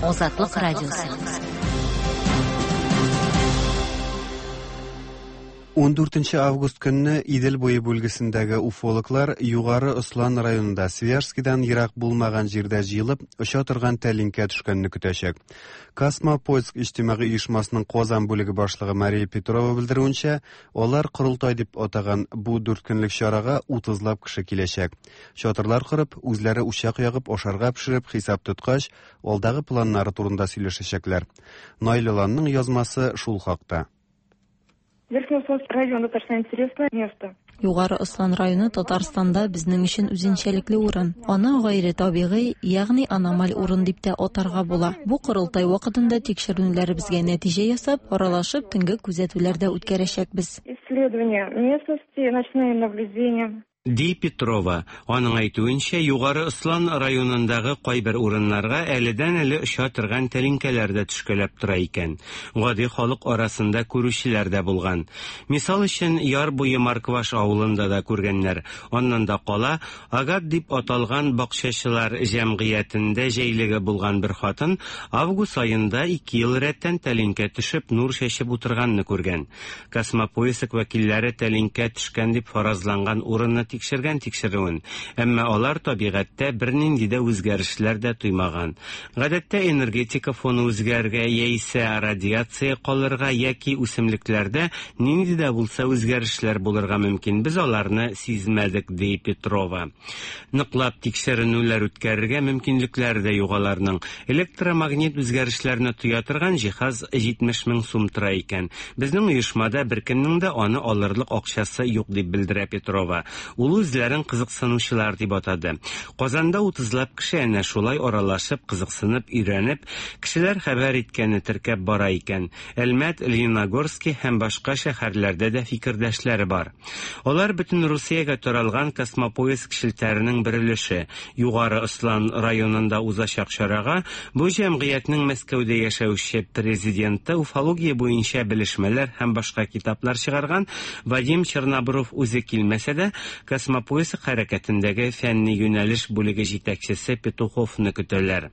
Азатлык радиосы. ун дүртенче август көнне Идел буе бүлгесендәге уфологлар Югары Ослан районында Свияжскидан ерак булмаган җирдә җыелып, оча торган тәлинкә төшкәнне көтәчәк. Космопоиск иҗтимагый оешмасының Казан бүлеге башлыгы Мария Петрова белдерүенчә, алар корылтай дип атаган бу дүрт көнлек чарага утызлап кеше киләчәк. Чатырлар корып, үзләре учак ягып, ашарга пешереп, хисап тоткач, алдагы планнары турында сөйләшәчәкләр. Наил Аланның язмасы шул хакта. Верхнеуслонский район достаточно интересное место. Югары Ослан районы Татарстанда безнең өчен үзенчәлекле урын. Аны гайре табигый, ягъни аномаль урын дип тә атарга була. Бу корылтай вакытында тикшеренүләребезгә нәтиҗә ясап, аралашып, төнге күзәтүләр дә үткәрәчәкбез. Исследование местности, ночные наблюдения. Ди Петрова. Аның әйтүенчә, Югары Ослан районындагы кайбер урыннарга әледән-әле оча торган тәлинкәләр дә төшкәләп тора икән. Гади халык арасында күрүчеләр дә булган. Мисал өчен, Яр буе Маркваш авылында да күргәннәр. Аннан да кала, Агат дип аталган бакчачылар җәмгыятендә җәйлеге булган бер хатын август аенда ике ел рәттән тәлинкә төшеп, нур чәчеп утырганны күргән. Космопоиск вәкилләре тәлинкә төшкән дип фаразланган урынны тикшергән тикшерүен, әмма алар табигатьтә бернинди дә үзгәрешләр дә тоймаган. Гадәттә энергетика фоны үзгәрергә яисә радиация калырга яки үсемлекләрдә нинди дә булса үзгәрешләр булырга мөмкин. Без аларны сизмәдек, ди Петрова. Ныклап тикшеренүләр үткәрергә мөмкинлекләре дә юк аларның. Электромагнит үзгәрешләрне тоя торган җиһаз җитмеш мең сум тора икән. Безнең оешмада беркемнең дә аны алырлык акчасы юк, дип белдерә Петрова. Ул үзләрен кызыксынучылар дип атады. Казанда утызлап кеше әнә шулай аралашып, кызыксынып, өйрәнеп, кешеләр хәбәр иткәнне теркәп бара икән. Әлмәт, Лениногорский һәм башка шәһәрләрдә дә фикердәшләре бар. Алар бөтен Русиягә таралган Космопоиск челтәренең бер өлеше. Югары Ослан районында узачак чарага бу җәмгыятьнең Мәскәүдә яшәүче президенты, уфология буенча белешмәләр һәм башка китаплар чыгарган Вадим Чернобров үзе килмәсә дә, Космопоиск хәрәкәтендәге фәнни юнәлеш бүлеге җитәкчесе Петуховны көтәләр.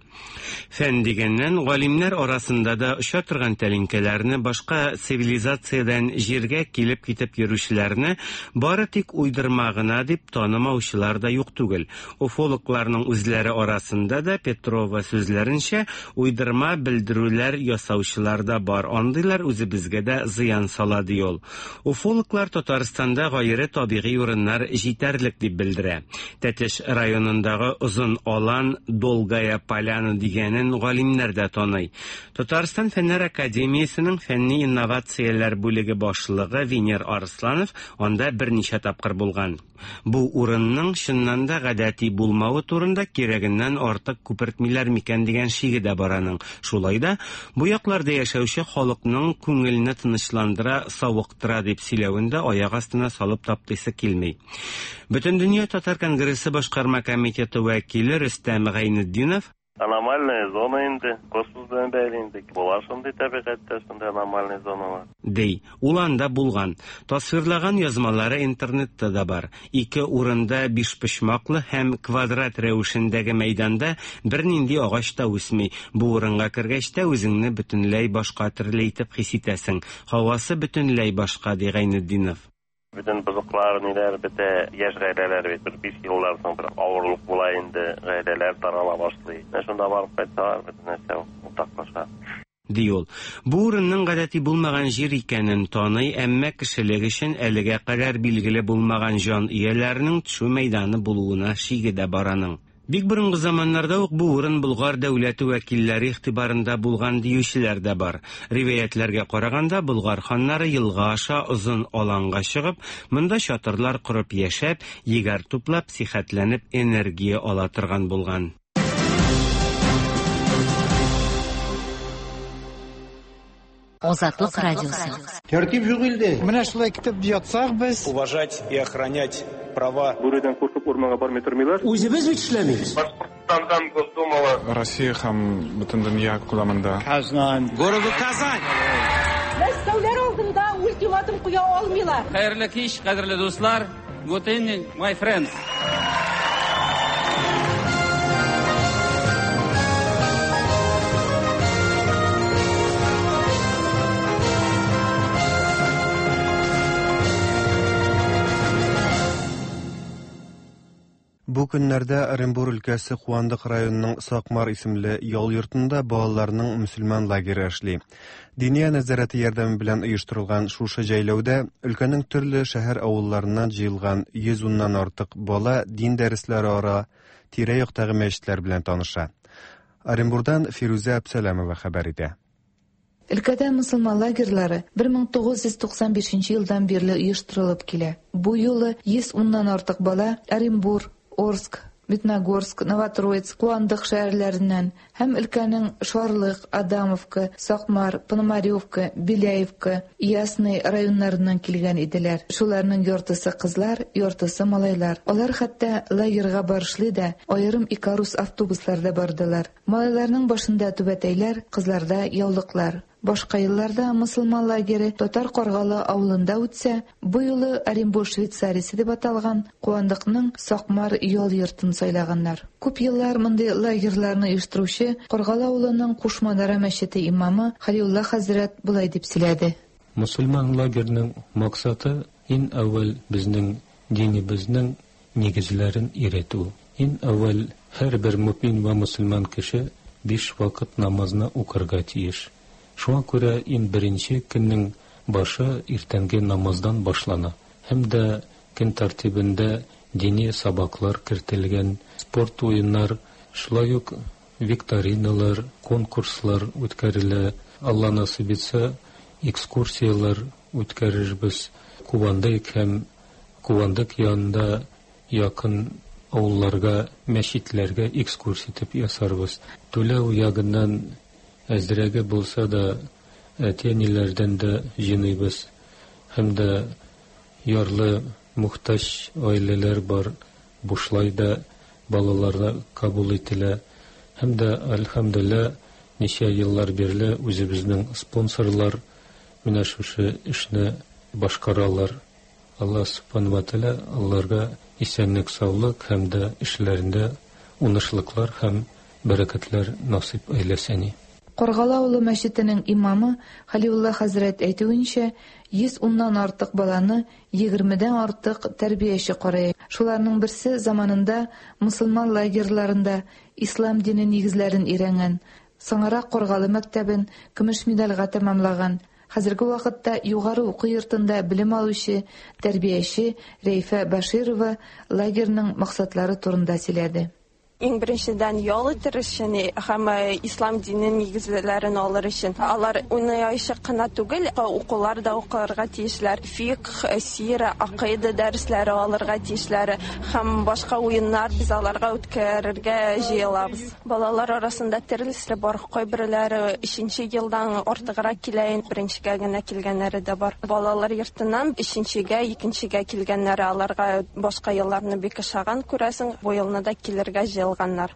Фән дигәннән, галимнәр арасында да оча торган тәлинкәләрне башка цивилизациядән җиргә килеп китеп йөрүчеләрне бары тик уйдырма гына дип танымаучылар да юк түгел. Уфологларның үзләре арасында да, Петрова сүзләренчә, уйдырма белдерүләр ясаучылар да бар. Андыйлар үзебезгә дә зыян сала ди ул. Уфологлар Татарстанда гайре табигый урыннар җитәрлек дип белдерә. Тәтеш районындагы Озын Алан, Долгая Поляна дигәнен галимнәр дә таный. Татарстан Фәннәр академиясенең фәнни инновацияләр бүлеге башлыгы Венер Арсланов анда берничә тапкыр булган. Бу урынның чыннан да гадәти булмавы турында кирәгеннән артык күпертмиләр микән дигән шиге дә бар аның. Шулай да бу якларда яшәүче халыкның күңелне тынычландыра, савыктыра дип сөйләвен дә аяк астына салып таптыйсы килми. Бөтендөнья татар конгрессы башкарма комитеты вәкиле Рөстәм Гайнетдинов Аномальная зона инде, космос белән бәйле инде. Була шундый табигатьтә шундый аномальный зоналар. Ди, ул анда булган. Тасвирлаган язмалары интернетта да бар. Ике урында бишпочмаклы һәм квадрат рәвешендәге мәйданда бернинди агач та үсми. Бу урынга кергәч тә үзеңне бөтенләй башка төрле итеп хис итәсең. Һавасы бөтенләй башка, ди Гайнетдинов. Бөтен бозыклар, ниләр бетә, яшь гаиләләр бит бер биш елдан соң бер авырлык була инде, гаиләләр тарала башлый. Менә шунда барып кайтсалар, бөтен нәрсә уртаклаша. Ди ул. Бу урынның гадәти булмаган җир икәнен таный, әмма кешелек өчен әлегә кадәр билгеле булмаган җан ияләренең төшү мәйданы булуына шиге дә бар аның. Бик борынгы заманнарда ук бу урын Болгар дәүләте вәкилләре игътибарында булган диючеләр дә бар. Риваятләргә караганда, Болгар ханнары елга аша озын аланга чыгып, монда чатырлар корып яшәп, егәр туплап, сихәтләнеп энергия ала торган булган. Азатлык радиосы. Тәртип юк илдә. Менә шулай китеп ятсак без. Уважать и охранять права. Бүредән куркып урманга бармый тормыйлар. Үзебез бит эшләмибез. Башкортстандан Госдумала. Россия һәм бөтен дөнья күләмендә. Казан. Городу Казань. Мәскәүләр алдында ультиматум куя алмыйлар. Хәерле кич, кадерле дуслар. Good evening, my friends. Бу көннәрдә Оренбур өлкәсе Куандык районының Сакмар исемле ял йортында балаларның мөселман лагере эшли. Диния нәзарәте ярдәме белән оештырылган шушы җәйләүдә өлкәнең төрле шәһәр авылларыннан җыелган йөз уннан артык бала дин дәресләре ара тирә-яктагы мәчетләр белән таныша. Оренбурдан Фирүзә Әбсәләмова хәбәр итә. Өлкәдә мөселман лагерьлары бер мең тугыз йөз туксан бишенче елдан бирле оештырылып килә. Бу юлы йөз уннан артык бала Оренбур, Орск, Медногорск, Новотроицк, Куандык шәһәрләреннән һәм өлкәнең Шарлык, Адамовка, Сакмар, Пономаревка, Беляевка, Ясный районнарыннан килгән иделәр. Шуларның яртысы кызлар, яртысы малайлар. Алар хәтта лагерьга барышлый да аерым Икарус автобусларда бардылар. Малайларның башында түбәтәйләр, кызларда яулыклар. Башка елларда мөселман лагере Татар Каргалы авылында үтсә, бу юлы Оренбур Швейцариясе дип аталган Куандыкның Сакмар ял йортын сайлаганнар. Күп еллар мондый лагерьларны оештыручы Каргалы авылының Кушманара мәчете имамы Халиулла хәзрәт болай дип сөйләде. Мөселман лагерының максаты иң әүвәл безнең динебезнең нигезләрен өйрәтү. Иң әүвәл һәрбер мөмин ва мөселман кеше биш вакыт намазны укырга тиеш. Шуңа күрә иң беренче көннең башы иртәнге намаздан башлана. Һәм дә көн тәртибендә дини сабаклар кертелгән, спорт уеннар, шулай ук викториналар, конкурслар үткәрелә. Алла насыйп итсә, экскурсияләр үткәрербез. Кувандык һәм Кувандык янында якын авылларга, мәчетләргә экскурсия итеп ясарбыз. Түләү ягыннан әзрәге булса да әти-әниләрдән дә җыйныйбыз. Һәм дә ярлы, мохтаҗ гаиләләр бар, бушлай да балаларны кабул ителә. Һәм дә, әлхәмдүлилләһ, ничә еллар бирле үзебезнең спонсорлар менә шушы эшне башкаралар. Алла субхана ва тааля аларга исәнлек, саулык һәм дә эшләрендә уңышлыклар һәм бәрәкәтләр насыйп әйләсен. Каргалы авылы мәчетенең имамы Халиулла хәзрәт әйтүенчә, йөз уннан артык баланы егермедән артык тәрбияче карый. Шуларның берсе заманында мөселман лагерьларында ислам дине нигезләрен өйрәнгән, соңрак Каргалы мәктәбен көмеш медальгә тәмамлаган Хәзерге вакытта югары уку йортында белем алучы тәрбияче Рәйфә Баширова лагерьның максатлары турында сөйләде. Иң беренчедән ял итер өчен һәм ислам дине нигезләрен алыр өчен. Алар уйнаячак кына түгел, укулар да укырга тиешләр. Фикх, сира, акыйда дәресләре алырга тиешләр һәм башка уеннар без аларга үткәрергә җыелабыз. Балалар арасында төрлесе бар. Кайберләре өченче елдан артыграк килә, беренчегә генә килгәннәре дә бар. Балалар йортыннан өченчегә, икенчегә килгәннәре аларга башка елларны бик ошаган, күрәсең, бу елны да килергә җыелганнар.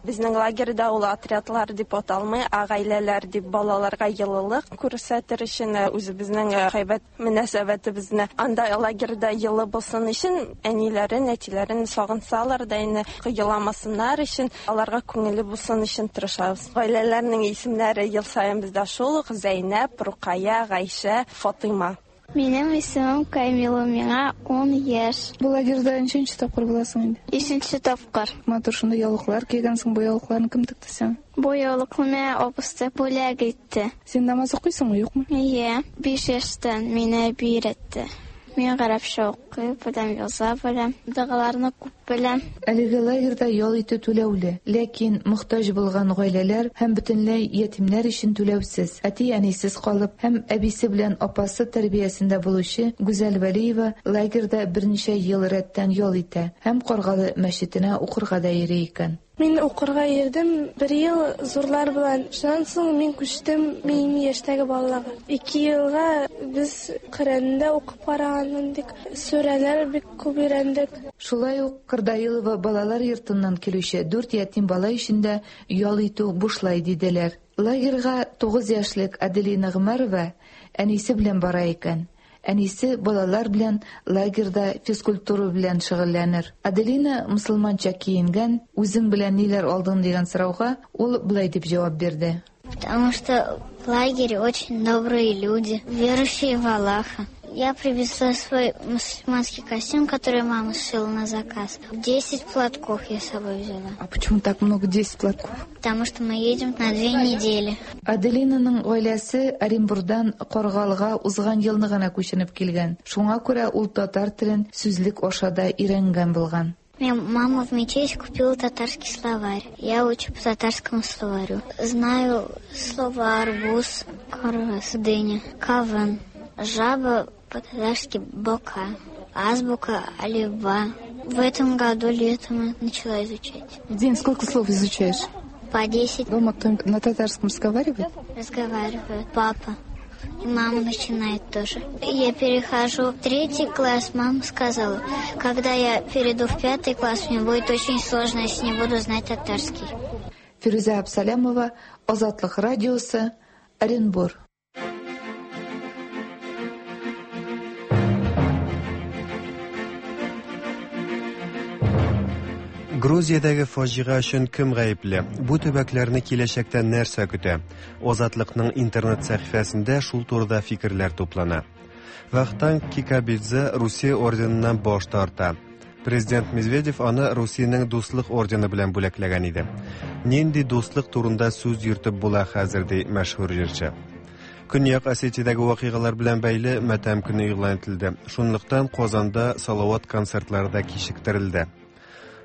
Безнең лагерьда ул отрядлар дип аталмый, ә гаиләләр дип балаларга йылылык күрсәтер өчен үзебезнең гайбәт мөнәсәбәтебезне анда лагерьда йылы булсын өчен әниләрен, әтиләрен сагынсалар да инде еламасыннар өчен, аларга күңелле булсын өчен тырышабыз. Гаиләләрнең исемнәре ел саен бездә шул ук: Зәйнәп, Рукая, Гайшә, Фатыйма. Минем исемем Камила, миңа ун яшь. Бу лагерьда ничәнче тапкыр буласың инде? Өченче тапкыр. Матур шундый яулыклар кигәнсең, бу яулыкларны кем текте сиңа? Бу яулыкны миңа абыстай бүләк итте. Син намаз укыйсыңмы, юкмы? Ие, биш яшьтән мине әби өйрәтте. Мин гарәпчә укый беләм, яза беләм, догаларны күп беләм. Әлеге лагерьда ял итү түләүле, ләкин мохтаҗ булган гаиләләр һәм бөтенләй ятимнәр өчен түләүсез. Әти-әнисез калып һәм әбисе белән апасы тәрбиясендә булучы Гүзәл Вәлиева лагерьда берничә ел рәттән ял итә һәм Каргалы мәчетенә укырга да йөри икән. Мин укырга йөрдем бер ел зурлар белән. Шуннан соң мин күчтем минем яшьтәге балаларга. Ике елга без Коръәндә укып караган идек. Сүрәләр бик күп өйрәндек. Шулай ук Кырдаилова балалар йортыннан килүче дүрт ятим бала өчен дә ял итү бушлай диделәр. Лагерьга тугыз яшьлек Аделина Гомәрова әнисе белән бара икән. Әнисе балалар белән лагерьда физкультура белән шөгыльләнер. Аделина мусульманча киенгән, үзең белән ниләр алдың дигән сорауга ул болай дип җавап бирде. Потому что в лагере очень добрые люди, верующие в Аллаха. Я привезла свой мусульманский костюм, который мама сшила на заказ. Десять платков я с собой взяла. А почему так много, десять платков? Потому что мы едем на две недели. Аделинаның гаиләсе Оренбурдан Каргалыга узган елны гына күченеп килгән. Шуңа күрә ул татар телен сүзлек аша да өйрәнгән булган. Мне мама в мечеть купила татарский словарь. Я учу по татарскому словарю. Знаю слова арбуз, карас, дыня, кавын, жаба по-татарски бока, азбука алифба. В этом году летом я начала изучать. В день сколько слов изучаешь? По десять. Дома кто-нибудь на татарском разговаривает? Разговаривает. Папа. И мама начинает тоже. Я перехожу в третий класс, мама сказала, когда я перейду в пятый класс, мне будет очень сложно, если не буду знать татарский. Фируза Абсалямова, Азатлык радиосы, Оренбур. Грузиядәге фаҗига өчен кем гаепле? Бу төбәкләрне киләчәктә нәрсә көтә? Азатлыкның интернет сәхифәсендә шул турыда фикерләр туплана. Вахтанг Кикабидзе Русия орденыннан баш тарта. Президент Медведев аны Русиянең дуслык ордены белән бүләкләгән иде. Нинди дуслык турында сүз йөртеп була хәзер, ди мәшһүр җырчы. Көньяк Осетиядәге вакыйгалар белән бәйле матәм көне игълан ителде. Шунлыктан Казанда салават концертлары да кичектерелде.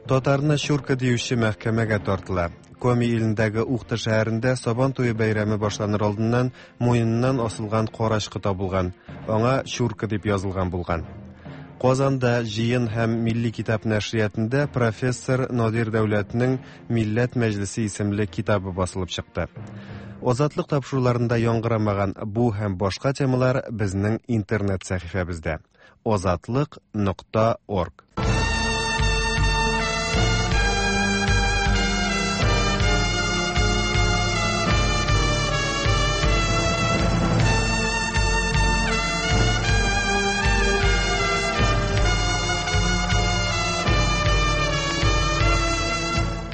Татарны чурка диюче мәхкәмәгә тартыла. Коми илендәге Ухта шәһәрендә Сабан туе бәйрәме башланыр алдыннан муеныннан асылган карачкы табылган. Аңа чурка дип язылган булган. Казанда җыен һәм милли китап нәшриятында профессор Надир Дәүләтнең Милләт мәҗлесе исемле китабы басылып чыкты. Азатлык тапшыруларында яңгырамаган бу һәм башка темалар безнең интернет сәхифәбездә. азатлык нокта орг.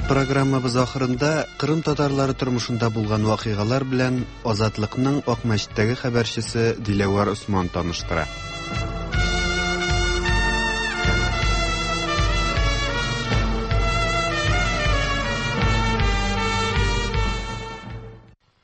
Программабыз ахырында Кырым татарлары тормышында булган вакыйгалар белән Азатлыкның Акмәчеттәге хәбәрчесе Диләвәр Усман таныштыра.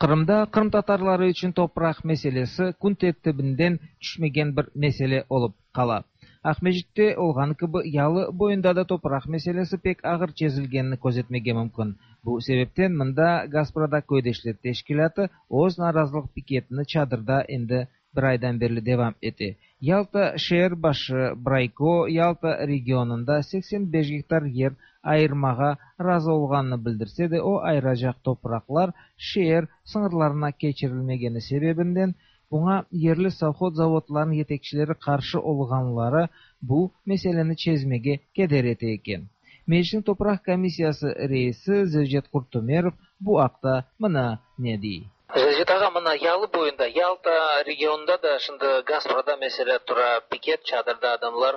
Qırımda Qırım tatarları içün topraq meselesi kün tertibinden tüşmegen bir mesele olıp qala. Aqmescitte olğanı kibi yalı boyunda da topraq meselesi pek ağır çezilgenini közetmege mümkün. Bu sebepten mında Gasprada köydeşler teşkilâtı öz narazılıq piketini çadırda endi bir aydan berli devam ete. Yalta şeer başı Brayko Yalta regionında seksen beş gektar yer ayırmağa razı olğanını bildirse de, o ayıracaq topraqlar şeer sıñırlarına keçirilmegeni sebebinden buña yerli sovhoz zavodlarınıñ yetekçileri qarşı olğanları bu meseleni çezmege keder ete eken. Meclisniñ topraq komissiyası reisi Zevcet Qurtümerov bu aqta mına ne dey. Zevcet ağa, mına yalı boyunda, Yalta regionında da şimdi Gasprada mesele tura, piket çadırda adamlar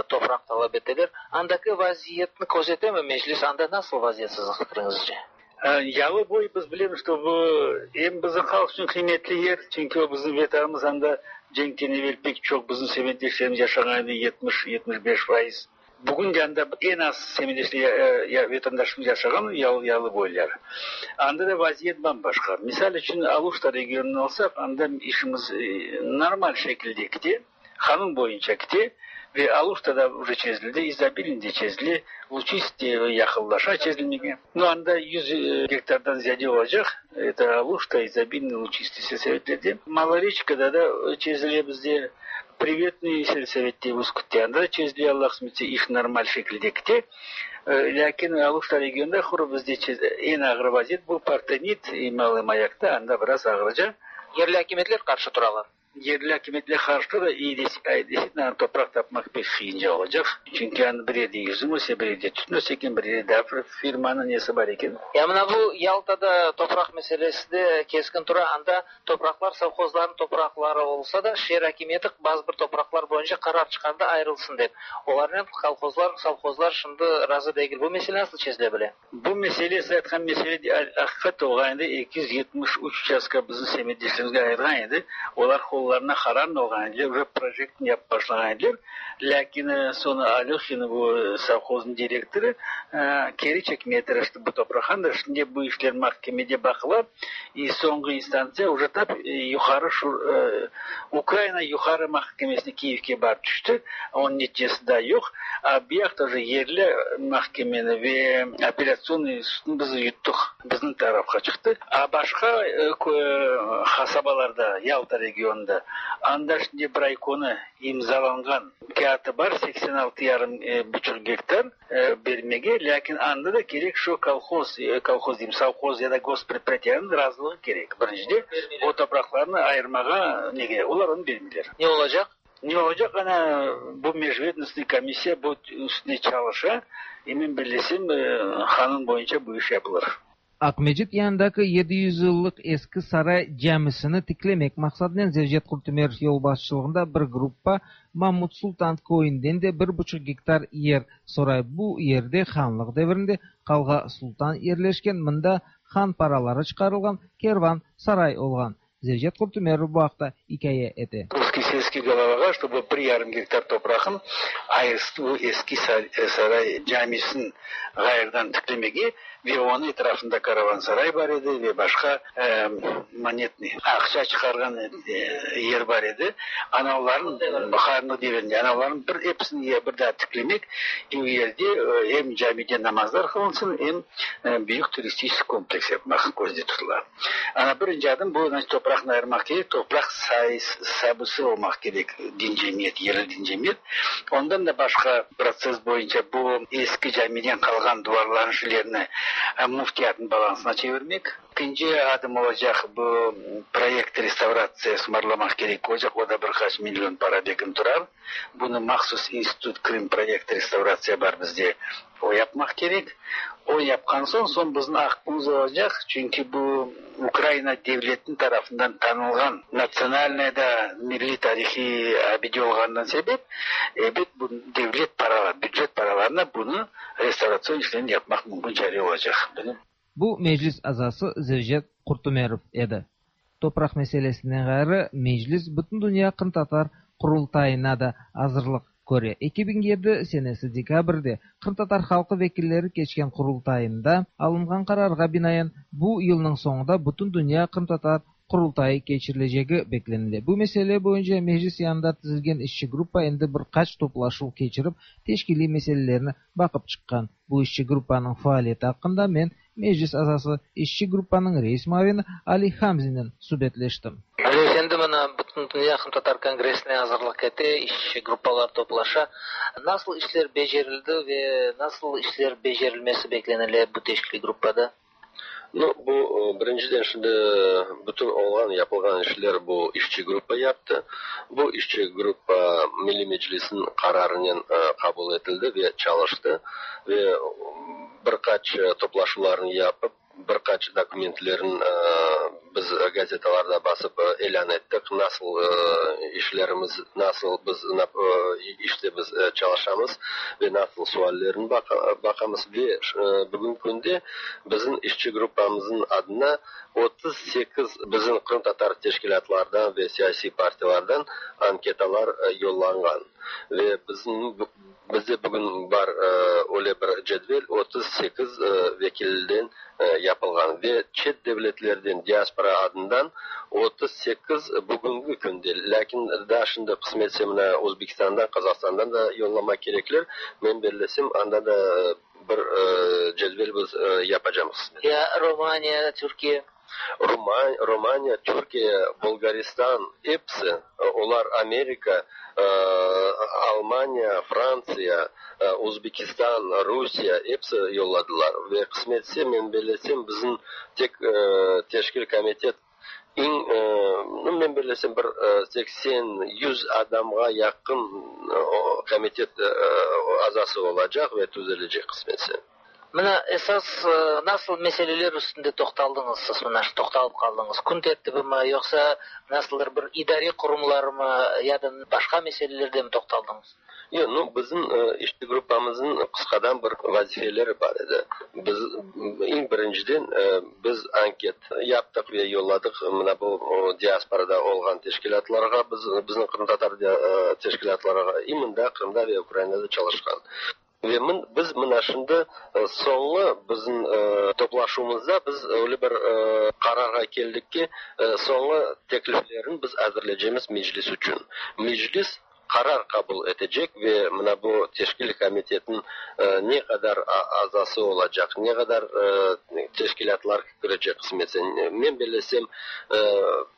topraq talap eteler. Andaki vaziyetni közetemi meclis? Anda nasıl vaziyet siziñ fikriñizce? Yalı boy biz bilemiz, что bu em bizim halq içün qıymetli yer, çünki o bizim vetanımız, anda cenkten evel pek çoq bizim semetdeşlerimiz yaşağan edi, yetmiş yetmiş beş faiz. Bugün de anda eñ az semetdeşler vatandaşımız yaşağan yalı, yalı boyları. Anda da vaziyet bambaşqa. Misal içün Aluşta regionını alsaq, anda işimiz normal şekilde kite, qanun boyunca kite ve Aluştada уже çezildi, İzobilnde çezildi, Luçiste yaqınlaşa çezilmege. Но anda yüz gektardan ziyade olacaq. Это Алушта, Изобильный, Лучистый сельсоветлerde. Малоречкада da çezile bizde. Приветный сельсоветте Ускутте анда çezile, Allah qısmetse, iş normal şekilde kite. Lâkin Aluşta regionında quru bizde eñ ağır vaziyet bu Partenit и Малый Маякта, anda biraz ağırca. Yerli akimiyetler qarşı turalar. Yerli akimiyetler qarşı da iyi действительно topraq tapmaq pek qıyınca olacaq. Çünki anda bir yerde yüzüm öse, bir yerde tütün öse eken, bir yerde daa bir firmanıñ nesi bar eken. Ya mına bu Yaltada topraq meselesi de keskin tura. Anda topraqlar sovhozlarnıñ topraqları olsa da, şeer akimiyeti bazı bir topraqlar boyunca qarar çıqardı ayırılsın dep. Olarnen kolhozlar, sovhozlar şimdi razı degil. Bu mesele nasıl çezile bile? Bu mesele, siz aytqan mesele aqiqat olğan edi. eki yüz yetmiş üç uçastka bizim semetdeşlerimizge ayırğan edi. Olar qollarına qarar olğan ediler, уже proyektni yapıp başlağan ediler. Lâkin soñra Alöhin, bu sovhoznıñ direktorı, keri çekmeye tırıştı bu topraqtan da. Şimdi bu işler mahkemede baqıla. И soñki instantsiya уже tap yuqarı şu Ukraina yuqarı mahkemesine Kiyevge barıp tüşti. Onıñ neticesi daa yoq. A bu yaqta уже yerli mahkemeni ve apellatsion sudnı biz yuttıq. Bizim tarafqa çıqtı. A başqa qasabalarda, Yalta regionında, anda şimdi Braykonı imzalanğan kağıtı bar, seksen altı yarım buçuq gektar bermege, lâkin anda da kerek şu kolhoz, kolhoz deyim, sovhoz ya da gospredpриятиyanıñ razılığı kerek. Birincide o topraqlarnı ayırmağa nege, olar onı bermeyler. Ne olacaq? Ne olacaq? Ana bu межведомственный komissiya bu üstüne çalışa. Emin bilesem, qanun boyunca bu iş yapılır. Aqmescit yanındaki yedi yüz yıllıq eski saray camisini tiklemek maqsadınen Zevcet Qurtümerov yolbaşçılığında bir gruppa Mamut Sultan köyünden de bir buçuq gektar yer soray. Bu yerde hanlıq devrinde Qalğa Sultan yerleşken, mında han paraları çıqarılğan kervan saray olğan. Zevcet Qurtümerov bu aqta ikâye ete. Русский сельский головаğa, чтобы bir yarım gektar topraqın ayırsın bu eski saray camisini ğayrıdan tiklemege ve onıñ etrafında karavansaray bar edi ve başqa monetный aqça çıqarğan yer bar edi. Ana olarnıñ hanlıq devrinde ana olarnıñ bir episini bir daa tiklemek, o yerde em camide namazlar qılınsın, em büyük turistik kompleks yapmaq közde tutula. Ana birinci adım bu, значит, topraqnı ayırmaq kerek, topraq sabısı olmaq kerek din cemiyet, yerli din cemiyet. Ondan da başqa protsess boyunca bu eski camiden qalğan duvarlarnıñ şeylerini müftiyatnıñ balansına çevirmek. Ekinci adım olacaq bu proyekt restavratsiya ısmarlamaq kerek olacaq, o da bir qaç million para bekim turar. Bunı mahsus institut Krım proyekt restavratsiya bar bizde, o yapmaq kerek. O yapqan soñ, soñ bizim aqqımız olacaq, çünki bu Ukraina devletiniñ tarafından tanılğan natsionalnıy da milliy tarihiy abide olğanından sebep, ebet, bu devlet paralar, bücet paralarına bunı restavratsion işlerini yapmaq mümkün çare olacaq. Bu meclis azası Zevcet Qurtümerov edi. Topraq meselesinden ğayrı, meclis Bütündünya qırımtatar qurultayına da azırlıq Köre eki biñ yedi senesi dekabrde Qırımtatar halqı vekilleri keçken qurultayında alınğan qararğa binaen bu yılnıñ soñunda bütün dünya Qırımtatar Qurultayı keçirilecegi beklenile. Bu mesele boyunca meclis yanında tizilgen işçi gruppa endi bir qaç toplaşuv keçirip teşkiliy meselelerini baqıp çıqqan. Bu işçi gruppanıñ faaliyeti aqqında men meclis azası işçi gruppanıñ reis muavini Ali Hamzinnen subetleştim. Ali efendi, mına bütün dünya Qırımtatar kongressine azırlıq ete, işçi gruppalar toplaşa. Nasıl işler becerildi ve nasıl işler becerilmesi beklenile bu teşkiliy gruppada? Ну, bu birinciden şimdi bütün olğan yapılğan işler bu işçi gruppa yaptı. Bu işçi gruppa Milli Meclis'in qararınen qabul etildi ve çalıştı ve bir qaç toplaşuvlarını yapıp bir qaç dokumentlerin biz gazetalarda basıp elan ettik. Nasıl işlerimiz, nasıl biz işte biz çalışamız ve nasıl suallerini baqamız ve bugün künde bizim işçi gruppamızın adına otuz sekiz bizim Qırımtatar teşkilâtlardan ve siyasiy partiyalardan anketalar yollanğan ve bizim bizde bugün bar öyle bir cedvel otuz sekiz vekilden yapılğan ve çet devletlerden diaspora adından otuz sekiz bugünkü künde. Lakin daha şimdi qısmetse mına Özbekistan'dan, Kazakhstan'dan da yollamak kerekler. Men bellesem anda da bir cedvel biz yapacağımız. Ya Romanya, Türkiye? Romanya, Türkiye, Bulgaristan hepsi, olar Amerika, Almanya, Fransiya, Özbekistan, Rusiya hepsi yolladılar. Ve qısmetse men bellesem bizim tek teşkil komitet eñ, men bellesem bir seksen yüz adamğa yaqın komitet azası olacaq ve tüzelecek qısmetse. Mına esas nasıl meseleler üstünde toqtaldıñız siz, mına toqtalıp qaldıñız? Kün tertibimi, yoqsa nasıldır bir idariy qurumlarmı ya da başqa meselelerde mi toqtaldıñız? Yoq, nu bizim işçi gruppamızın qısqadan bir vazifeleri bar edi. Biz eñ birinciden biz anket yaptıq ve yolladıq mına bu diasporada olğan teşkilâtlarğa, biz bizim qırımtatar teşkilâtlarğa, i mında Qırımda ve Ukrainada çalışqan. Ve biz mına şimdi soñu bizim toplaşuvımızda biz öyle bir qararğa keldik ki, soñu tekliflerini biz azırlaycağımız meclis içün. Meclis qarar qabul etecek ve mına bu teşkil komitetin ne qadar azası olacaq, ne qadar teşkilâtlar kirecek qısmetse. Men bellesem,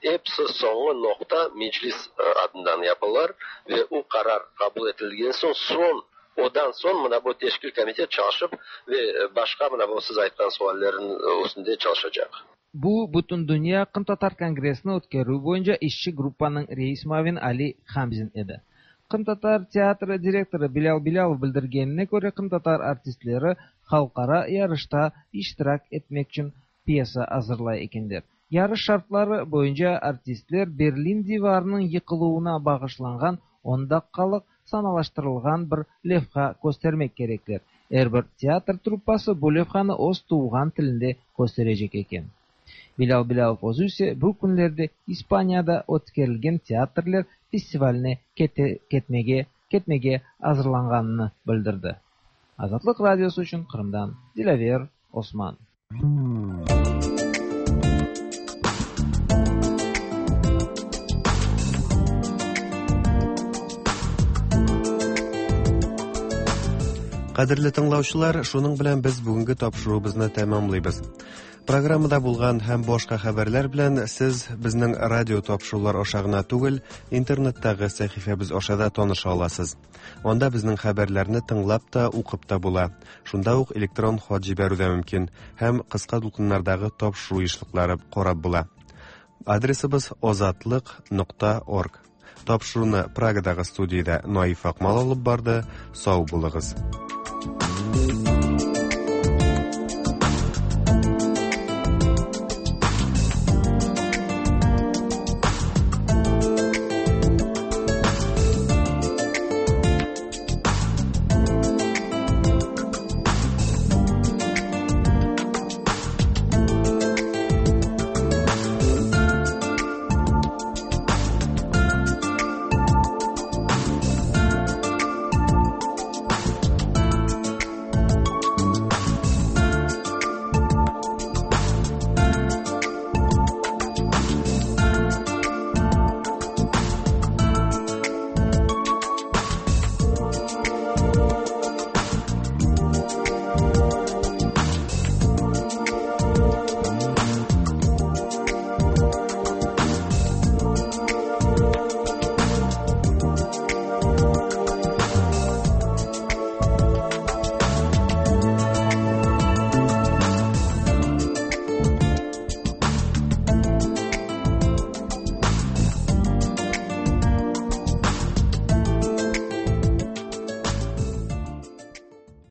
hepsi soñu noqta meclis adından yapılar ve o qarar qabul etilgen soñ, soñ odan soñ mına bu teşkil komitet çalışıp ve başqa mına bu siz aytqan suallerin üstünde çalışacaq. Bu bütün dünya Qırımtatar kongressini ötkerüv boyunca işçi gruppanıñ reis muavini Ali Hamzin edi. Qırımtatar teatri direktorı Bilâl Bilâlov bildirgenine köre, qırımtatar artistleri halqara yarışta iştirak etmek içün pyesa azırlay ekenler. Yarış şartları boyunca artistler Berlin divarınıñ yıqıluvına bağışlanğan on daqqalıq sanalaştırılğan bir levha köstermek kerekler. Er bir teatr truppası bu levhanı öz tuvğan tilinde kösterecek eken. Bilâl Bilâlov özü ise bu künlerde İspaniyada ötkerilgen teatrler festivaline ketmege, ketmege azırlanğanını bildirdi. Azatlıq Radiosı içün Qırımdan Dilâver Osman. Qadrli тыңлаучылар, шуның белән без бүгенге тапшыруыбызны тәмамлыйбыз. Программада булган һәм башка хәбәрләр белән сез безнең радио тапшырулар аша гына түгел, интернеттагы сәхифәбез аша да таныша аласыз. Анда безнең хәбәрләрне тыңлап та, укып та була. Шунда ук электрон хат җибәрү дә мөмкин һәм кыска дулкыннардагы тапшыру ешлыклары карап була. Адресыбыз озатлык нокта орг. Тапшыруны Прагадагы студиядә Наиф Акмал алып барды. Сау булыгыз.